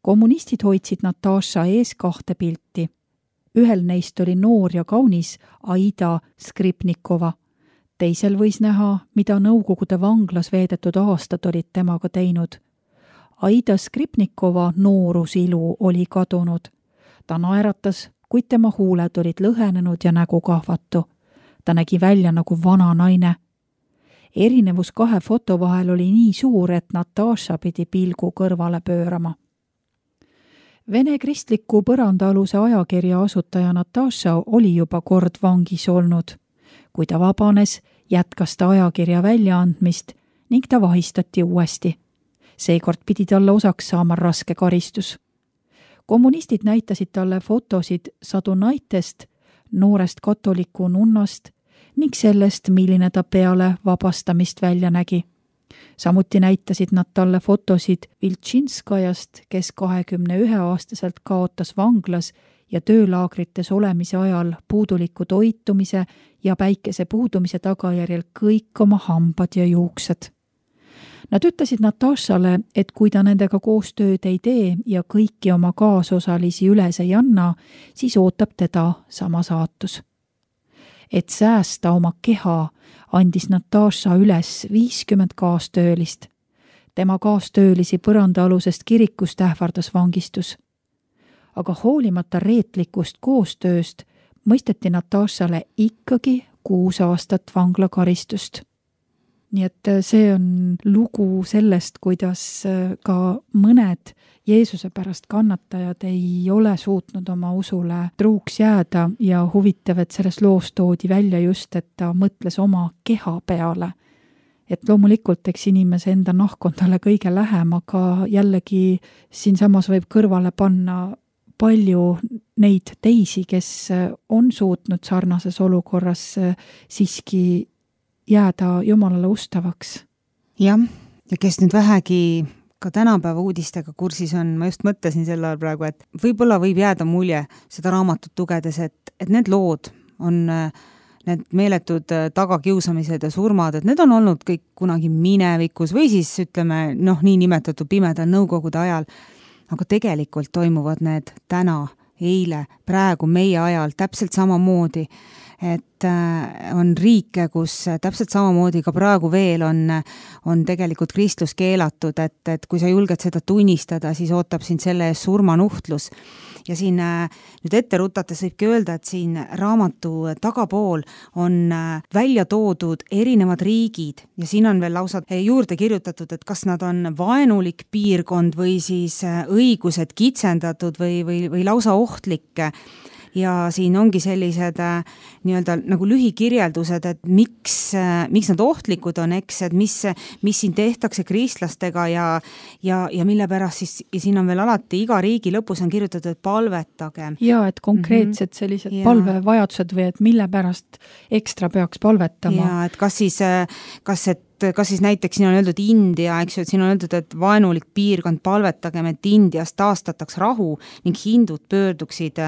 Kommunistid hoidsid Nataša ees 2 pilti. Ühel neist oli noor ja kaunis Aida Skripnikova. Teisel võis näha, mida Nõukogude vanglas veedetud aastad olid temaga teinud. Aida Skripnikova noorusilu oli kadunud. Ta naeratas, kuid tema huuled olid lõhenenud ja nägu kahvatu. Ta nägi välja nagu vana naine. Erinevus 2 foto vahel oli nii suur, et Nataša pidi pilgu kõrvale pöörama. Vene kristliku põrandaaluse ajakirja asutaja Nataša oli juba kord vangis olnud. Kui ta vabanes, jätkas ta ajakirja väljaandmist ning ta vahistati uuesti. Seekord pidi talle osaks saama raske karistus. Kommunistid näitasid talle fotosid Sadunaitest, noorest katoliku nunnast ning sellest, milline ta peale vabastamist välja nägi. Samuti näitasid nad talle fotosid Viltšinskajast, kes 21-aastaselt kaotas vanglas ja töölaagrites olemise ajal puuduliku toitumise ja päikese puudumise tagajärjel kõik oma hambad ja juuksed. Nad ütlesid Natašale, et kui ta nendega koostööd ei tee ja kõiki oma kaasosalisi üles ei anna, siis ootab teda sama saatus. et säästa oma keha, andis Nataša üles 50 kaastöölist. Tema kaastöölisi põrandaalusest kirikust ähvardas vangistus. Aga hoolimata reetlikust koostööst mõisteti Natašale ikkagi 6 aastat vanglakaristust. Nii et see on lugu sellest, kuidas ka mõned Jeesuse pärast kannatajad ei ole suutnud oma usule truuks jääda ja huvitav, et selles loos toodi välja just, et ta mõtles oma keha peale. Et loomulikult, eks inimese enda nahk on talle kõige lähem, aga jällegi siinsamas võib kõrvale panna palju neid teisi, kes on suutnud sarnases olukorras siiski jääda Jumalale ustavaks. Jah, ja kes nüüd vähegi ka tänapäeva uudistega kursis on, ma just mõtlesin sel ajal praegu, et võib-olla võib jääda mulje seda raamatut lugedes, et need lood on need meeletud tagakiusamised ja surmad, et need on olnud kõik kunagi minevikus või siis ütleme, nii nimetatud pimedal nõukogude ajal, aga tegelikult toimuvad need täna, eile, praegu meie ajal täpselt samamoodi, et on riike, kus täpselt samamoodi ka praegu veel on tegelikult kristlus keelatud, et kui sa julged seda tunnistada, siis ootab sind selle ees surmanuhtlus. Ja siin nüüd ette rutates võibki öelda, et siin raamatu tagapool on välja toodud erinevad riigid ja siin on veel lausa juurde kirjutatud, et kas nad on vaenulik piirkond või siis õigused kitsendatud või lausa ohtlik. Ja siin ongi sellised nii-öelda nagu lühikirjeldused, et miks nad ohtlikud on, eks, et mis siin tehtakse kristlastega ja mille pärast siis, ja siin on veel alati iga riigi lõpus on kirjutatud, et palvetage. Ja, et konkreetsed sellised palvevajadused või et mille pärast ekstra peaks palvetama. Ja, et kas siis näiteks siin on öeldud India, eks ju, et siin on öeldud, et vaenulik piirkond palvetagem, et Indias taastataks rahu ning hindud pöörduksid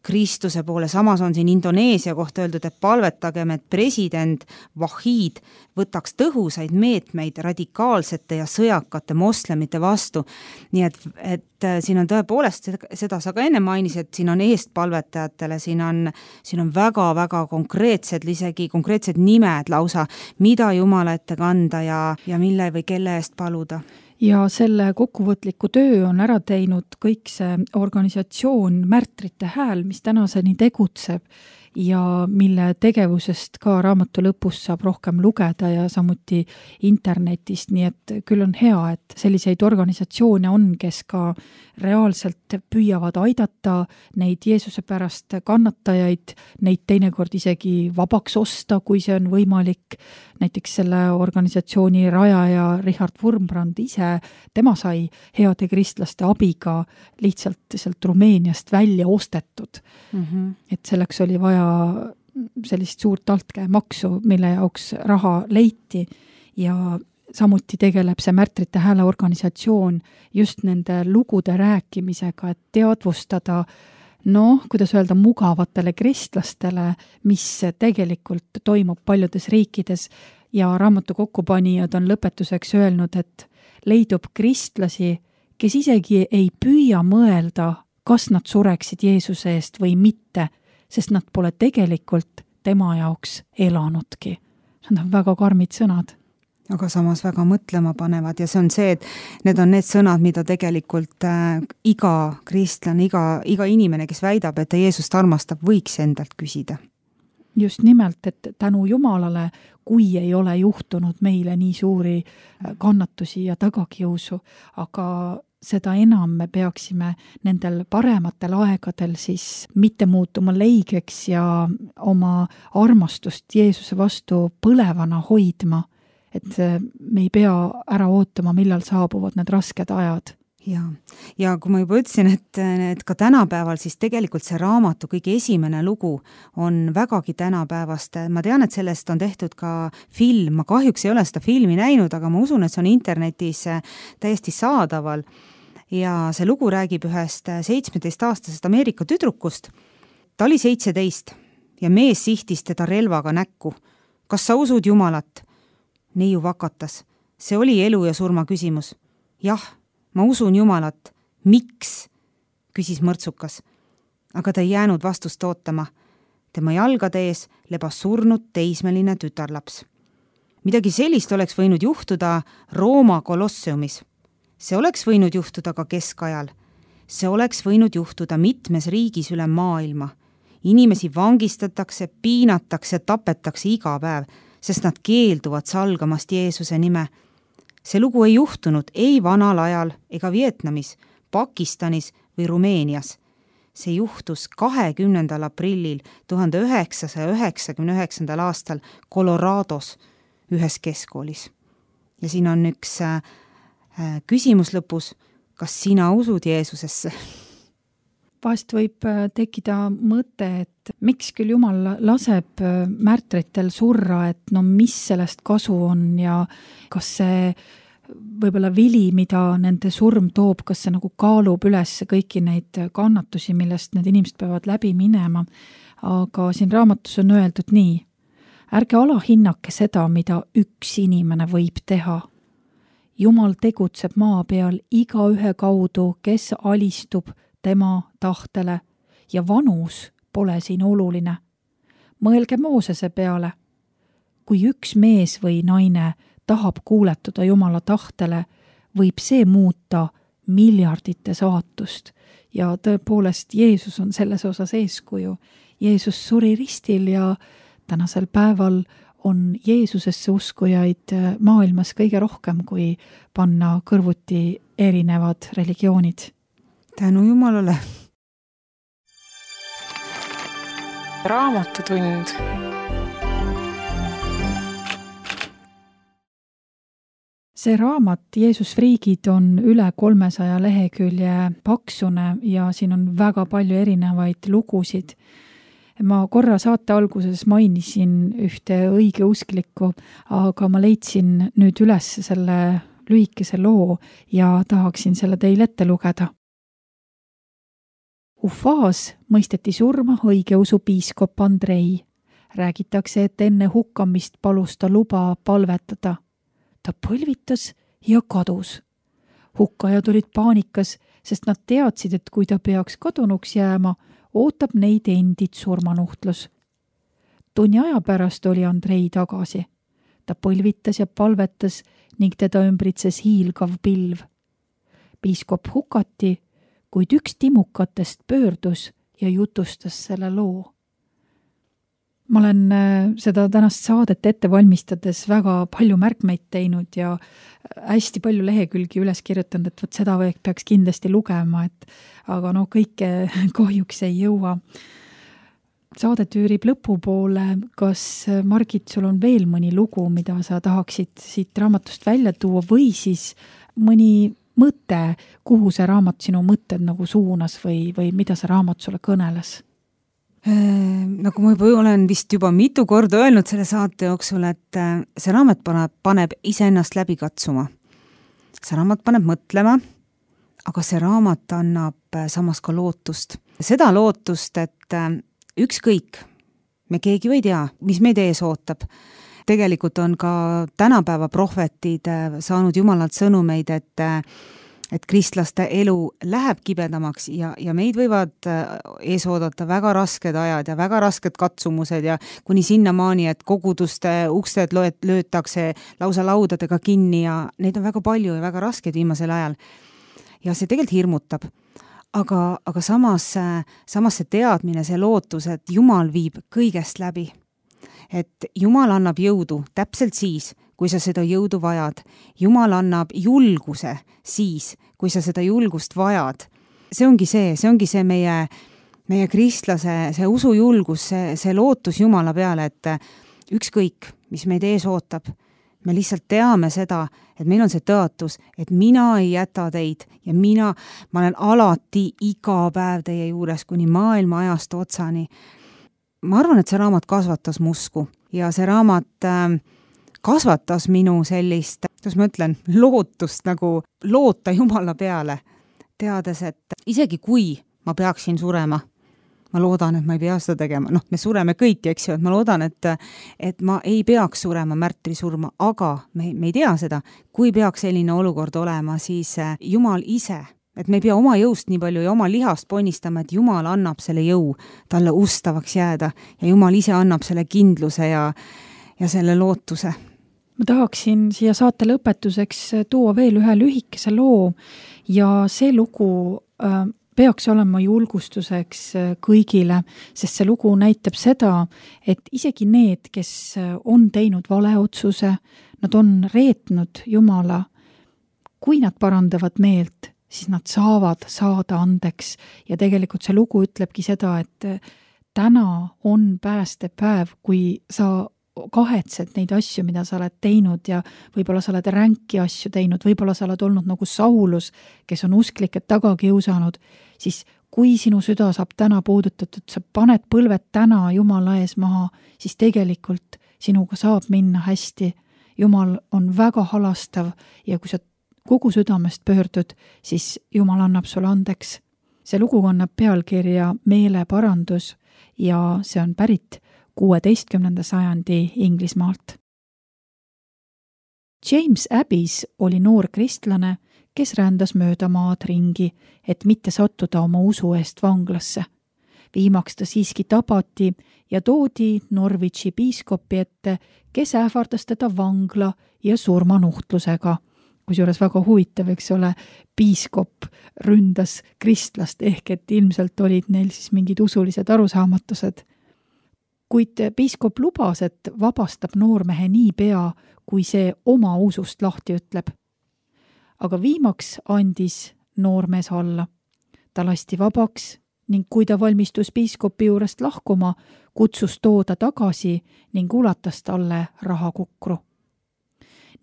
Kristuse poole. Samas on siin Indoneesia kohta öeldud, et palvetagem, et president Wahid võtaks tõhusaid meetmeid radikaalsete ja sõjakate moslemite vastu. Nii et siin on tõepoolest, seda sa ka enne mainis, et siin on eestpalvetajatele, siin on väga-väga konkreetsed, isegi konkreetsed nimed lausa, mida Jumala ette kanda ja mille või kelle eest paluda. Ja selle kokkuvõtliku töö on ära teinud kõik see organisatsioon Märtrite Hääl, mis tänaseni tegutseb ja mille tegevusest ka raamatu lõpus saab rohkem lugeda ja samuti internetist, nii et küll on hea, et selliseid organisatsioone on, kes ka reaalselt püüavad aidata neid Jeesuse pärast kannatajaid, neid teinekord isegi vabaks osta, kui see on võimalik. Näiteks selle organisatsiooni rajaja Richard Wurmbrand ise, tema sai heade kristlaste abiga lihtsalt sealt Rumeeniast välja ostetud. Et selleks oli vaja sellist suurt altkäemaksu, mille jaoks raha leiti ja samuti tegeleb see Märtrite Hääle organisatsioon just nende lugude rääkimisega, et teadvustada kuidas öelda, mugavatele kristlastele, mis tegelikult toimub paljudes riikides ja raamatu kokkupanijad on lõpetuseks öelnud, et leidub kristlasi, kes isegi ei püüa mõelda, kas nad sureksid Jeesuse eest või mitte, sest nad pole tegelikult tema jaoks elanudki. Need on väga karmid sõnad. Aga samas väga mõtlema panevad ja see on see, et need on need sõnad, mida tegelikult iga kristlane, iga inimene, kes väidab, et ta Jeesust armastab, võiks endalt küsida. Just nimelt, et tänu Jumalale, kui ei ole juhtunud meile nii suuri kannatusi ja tagakiusu, aga seda enam me peaksime nendel parematel aegadel siis mitte muutuma leigeks ja oma armastust Jeesuse vastu põlevana hoidma, et me ei pea ära ootama, millal saabuvad need rasked ajad. Ja kui ma juba ütlesin, et ka tänapäeval siis tegelikult see raamatu kõige esimene lugu on vägagi tänapäevast. Ma tean, et sellest on tehtud ka film. Ma kahjuks ei ole seda filmi näinud, aga ma usun, et see on internetis täiesti saadaval. Ja see lugu räägib ühest 17-aastasest Ameerika tüdrukust. Ta oli 17 ja mees sihtis teda relvaga näkku. Kas sa usud Jumalat? Neiu vakatas. See oli elu ja surma küsimus. Jah, ma usun Jumalat. Miks? Küsis mõrtsukas. Aga ta ei jäänud vastust ootama. tema jalgade ees lebas surnud teismeline tütarlaps. Midagi sellist oleks võinud juhtuda Rooma Kolosseumis. See oleks võinud juhtuda ka keskajal. See oleks võinud juhtuda mitmes riigis üle maailma. Inimesi vangistatakse, piinatakse, tapetakse iga päev, sest nad keelduvad salgamast Jeesuse nime. See lugu ei juhtunud ei vanal ajal ega Vietnamis, Pakistanis või Rumeenias. See juhtus 20. aprillil 1999. aastal Colorados ühes keskkoolis. Ja siin on üks küsimus lõpus, kas sina usud Jeesusesse? Vahest võib tekkida mõte, et miks küll Jumal laseb märtritel surra, et no mis sellest kasu on ja kas see võib-olla vili, mida nende surm toob, kas see nagu kaalub üles kõiki neid kannatusi, millest need inimesed peavad läbi minema. Aga siin raamatus on öeldud nii, ärge alahinnake seda, mida üks inimene võib teha. Jumal tegutseb maa peal igaühe kaudu, kes alistub tema tahtele ja vanus pole siin oluline. Mõelge Moosese peale. Kui üks mees või naine tahab kuuletuda Jumala tahtele, võib see muuta miljardite saatust. Ja tõepoolest Jeesus on selles osas eeskuju. Jeesus suri ristil ja tänasel päeval on Jeesusesse uskujaid maailmas kõige rohkem, kui panna kõrvuti erinevad religioonid. Tänu Jumalale. Raamatutund. See raamat Jeesus friigid on üle 300 lehekülje paksune ja siin on väga palju erinevaid lugusid. Ma korra saate alguses mainisin ühte õigeusklikku, aga ma leidsin nüüd üles selle lühikese loo ja tahaksin selle teile ette lugeda. Ufas mõisteti surma õigeusu piiskop Andrei. Räägitakse, et enne hukkamist palus ta luba palvetada. Ta põlvitas ja kadus. Hukkajad olid paanikas, sest nad teadsid, et kui ta peaks kadunuks jääma, ootab neid endid surmanuhtlus. Tunni aja pärast oli Andrei tagasi. Ta põlvitas ja palvetas ning teda ümbritses hiilgav pilv. Piiskop hukati, kuid üks timukatest pöördus ja jutustas selle loo. Ma olen seda tänast saadet ette valmistades väga palju märkmeid teinud ja hästi palju lehekülgi üles kirjutanud, et seda peaks kindlasti lugema, aga kõike kahjuks ei jõua. Saadet üürib lõpupoole. Kas, Margit, sul on veel mõni lugu, mida sa tahaksid siit raamatust välja tuua või siis mõni mõte, kuhu see raamat sinu mõtted nagu suunas või mida see raamat sulle kõneles? Nagu ma olen vist juba mitu korda öelnud selle saate jooksul, et see raamat paneb iseennast läbi katsuma. See raamat paneb mõtlema, aga see raamat annab samas ka lootust. Seda lootust, et ükskõik, me keegi ei tea, mis meid ees ootab. Tegelikult on ka tänapäeva prohvetid saanud Jumalalt sõnumeid, et kristlaste elu läheb kibedamaks ja meid võivad ees oodata väga rasked ajad ja väga rasked katsumused ja kuni sinnamaani, et koguduste uksed löötakse lausa laudadega kinni ja neid on väga palju ja väga rasked viimasel ajal. Ja see tegelikult hirmutab. Aga samas see teadmine, see lootus, et Jumal viib kõigest läbi. Et Jumal annab jõudu täpselt siis, kui sa seda jõudu vajad. Jumal annab julguse siis, kui sa seda julgust vajad. See ongi see meie kristlase, see usujulgus, see lootus Jumala peale, et ükskõik, mis meid ees ootab, me lihtsalt teame seda, et meil on see tõotus, et mina ei jäta teid ja ma olen alati iga päev teie juures kuni maailma ajast otsani. Ma arvan, et see raamat kasvatas musku ja see raamat kasvatas minu sellist, kuidas ma ütlen, lootust nagu loota Jumala peale, teades, et isegi kui ma peaksin surema, ma loodan, et ma ei pea seda tegema. Me sureme kõik, eks ju, et ma loodan, et ma ei peaks surema märtrisurma, aga me ei tea seda. Kui peaks selline olukord olema, siis Jumal ise et me ei pea oma jõust nii palju ja oma lihast ponnistama, et Jumal annab selle jõu talle ustavaks jääda ja Jumal ise annab selle kindluse ja selle lootuse. Ma tahaksin siia saate lõpetuseks tuua veel ühe lühikese loo ja see lugu peaks olema julgustuseks kõigile, sest see lugu näitab seda, et isegi need, kes on teinud valeotsuse, nad on reetnud Jumala, kui nad parandavad meelt, siis nad saavad saada andeks ja tegelikult see lugu ütlebki seda, et täna on päästepäev, kui sa kahetsed neid asju, mida sa oled teinud ja võib-olla sa oled ränki asju teinud, võib-olla sa oled olnud nagu Saulus, kes on usklikud taga kiusanud, siis kui sinu süda saab täna puudutatud, sa paned põlved täna Jumala ees maha, siis tegelikult sinuga saab minna hästi. Jumal on väga halastav ja kui sa kogu südamest pöördud, siis Jumal annab sulle andeks. See lugu kannab pealkirja Meeleparandus ja see on pärit 16. sajandi Inglismaalt. James Abbis oli noor kristlane, kes rändas mööda maad ringi, et mitte sattuda oma usu eest vanglasse. Viimaks ta siiski tabati ja toodi Norwichi piiskopi ette, kes ähvardas teda vangla ja surmanuhtlusega. Kusjuures väga huvitav, eks ole, piiskop ründas kristlast ehk et ilmselt olid neil siis mingid usulised arusaamatused. Kuid piiskop lubas, et vabastab noormehe nii pea, kui see oma usust lahti ütleb. Aga viimaks andis noormees alla. Ta lasti vabaks ning kui ta valmistus piiskopi juurest lahkuma, kutsus tooda tagasi ning ulatas talle rahakukru.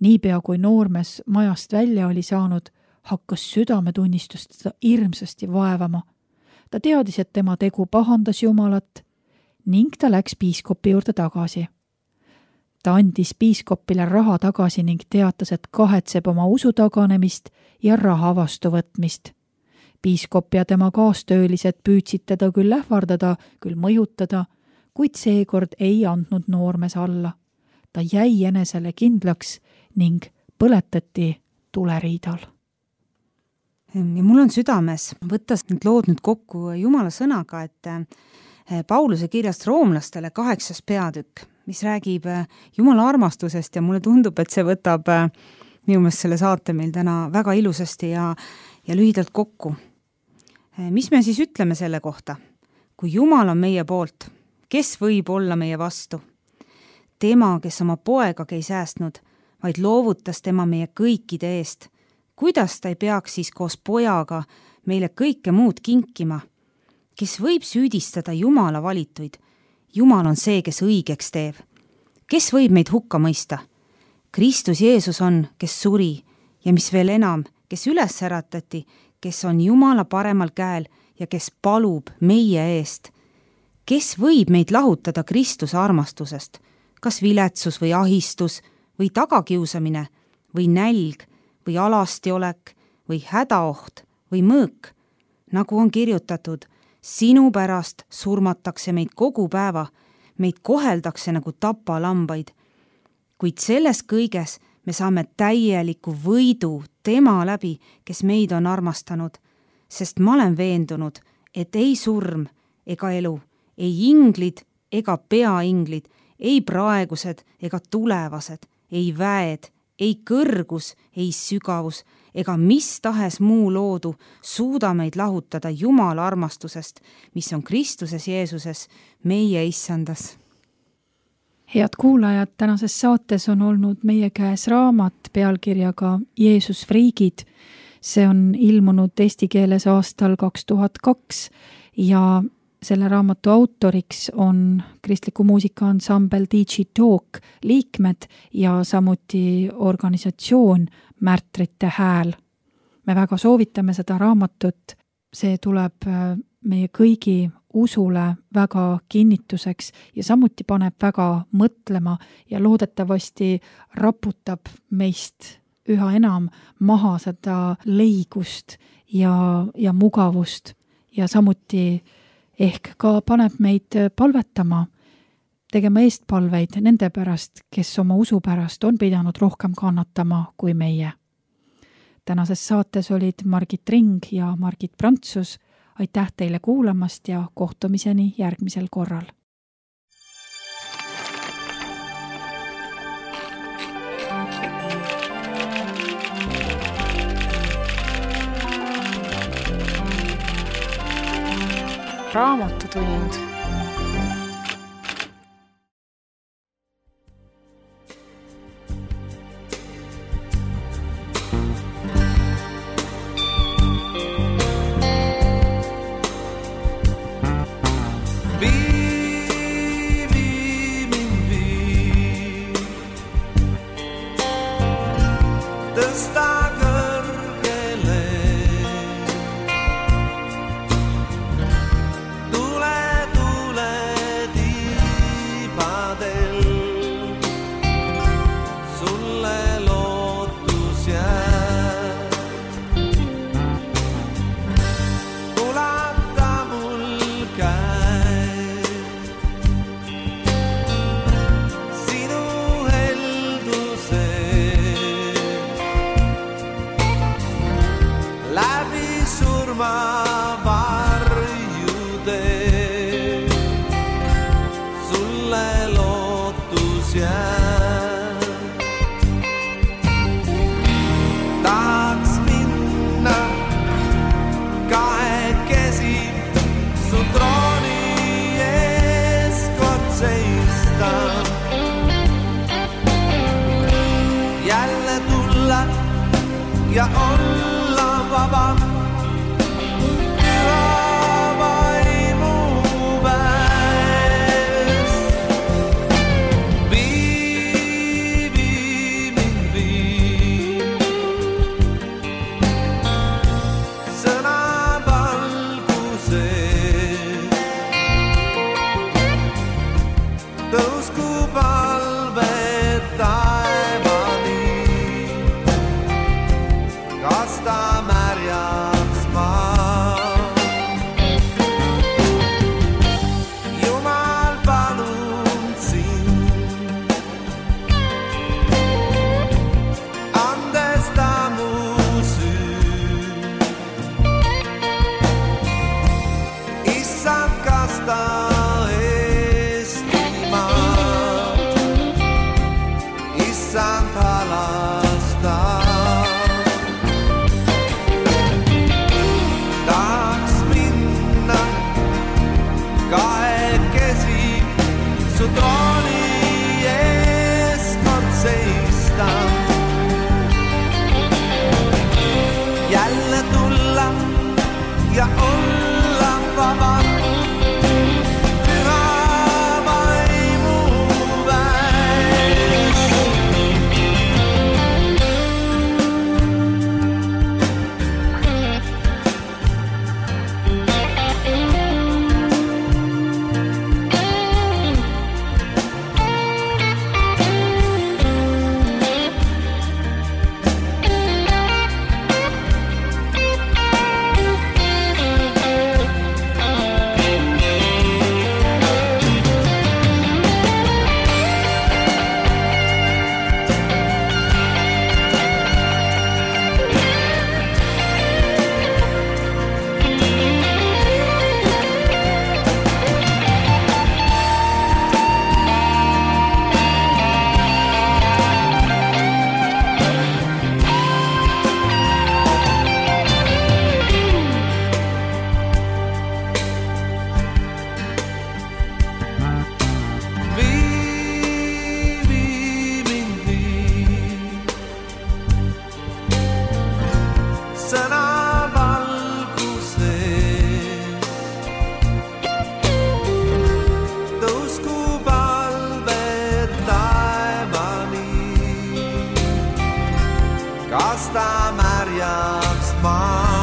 Niipea kui noormees majast välja oli saanud, hakkas südametunnistust teda hirmsasti vaevama. Ta teadis, et tema tegu pahandas Jumalat ning ta läks piiskopi juurde tagasi. Ta andis piiskopile raha tagasi ning teatas, et kahetseb oma usu taganemist ja raha vastuvõtmist. Piiskop ja tema kaastöölised püüdsid teda küll ähvardada, küll mõjutada, kuid seekord ei andnud noormees alla. Ta jäi enesele kindlaks ning põletati tuleriidal. Ja mul on südames võttes need lood nüüd kokku Jumala sõnaga, et Pauluse kirjast roomlastele 8. peatükk, mis räägib Jumala armastusest ja mulle tundub, et see võtab minu meelest selle saate meil täna väga ilusasti ja lühidalt kokku. Mis me siis ütleme selle kohta? Kui Jumal on meie poolt, kes võib olla meie vastu? Tema, kes oma poegagi ei säästnud, vaid loovutas tema meie kõikide eest. Kuidas ta ei peaks siis koos pojaga meile kõike muud kinkima? Kes võib süüdistada Jumala valituid? Jumal on see, kes õigeks teeb. Kes võib meid hukka mõista? Kristus Jeesus on, kes suri ja mis veel enam, kes üles äratati, kes on Jumala paremal käel ja kes palub meie eest. Kes võib meid lahutada Kristuse armastusest? Kas viletsus või ahistus või tagakiusamine või nälg või alastiolek või hädaoht või mõõk? Nagu on kirjutatud, sinu pärast surmatakse meid kogu päeva, meid koheldakse nagu tapalambaid. Kuid selles kõiges me saame täieliku võidu tema läbi, kes meid on armastanud, sest ma olen veendunud, et ei surm ega elu, ei inglid ega peainglid, ei praegused ega tulevased, ei väed, ei kõrgus, ei sügavus ega mis tahes muu loodu suuda meid lahutada Jumala armastusest, mis on Kristuses Jeesuses, meie issandas. Head kuulajad, tänases saates on olnud meie käes raamat pealkirjaga Jeesus friigid. See on ilmunud eesti keeles aastal 2002 ja selle raamatu autoriks on kristliku muusikaansambel DJ Talk liikmed ja samuti organisatsioon Märtrite hääl. Me väga soovitame seda raamatut, see tuleb meie kõigi usule väga kinnituseks ja samuti paneb väga mõtlema ja loodetavasti raputab meist üha enam maha seda leigust ja mugavust ja samuti ehk ka paneb meid palvetama, tegema eestpalveid nende pärast, kes oma usu pärast on pidanud rohkem kannatama kui meie. tänases saates olid Margit Ring ja Margit Prantsus. Aitäh teile kuulamast ja kohtumiseni järgmisel korral. Raamatutund. Ja olla vaba, püha vaimu väes. Vii mind vii, sõna valguses. Tõusku palved taevani. Kas ta märjaks maa? Jumal palun sind, andesta mu süü. Issand, kas ta Eestimaa, issand halasta. Su trooni ees kord seista, jälle tulla ja olla vaba, püha vaimu väes. Kas ta märjaks maa?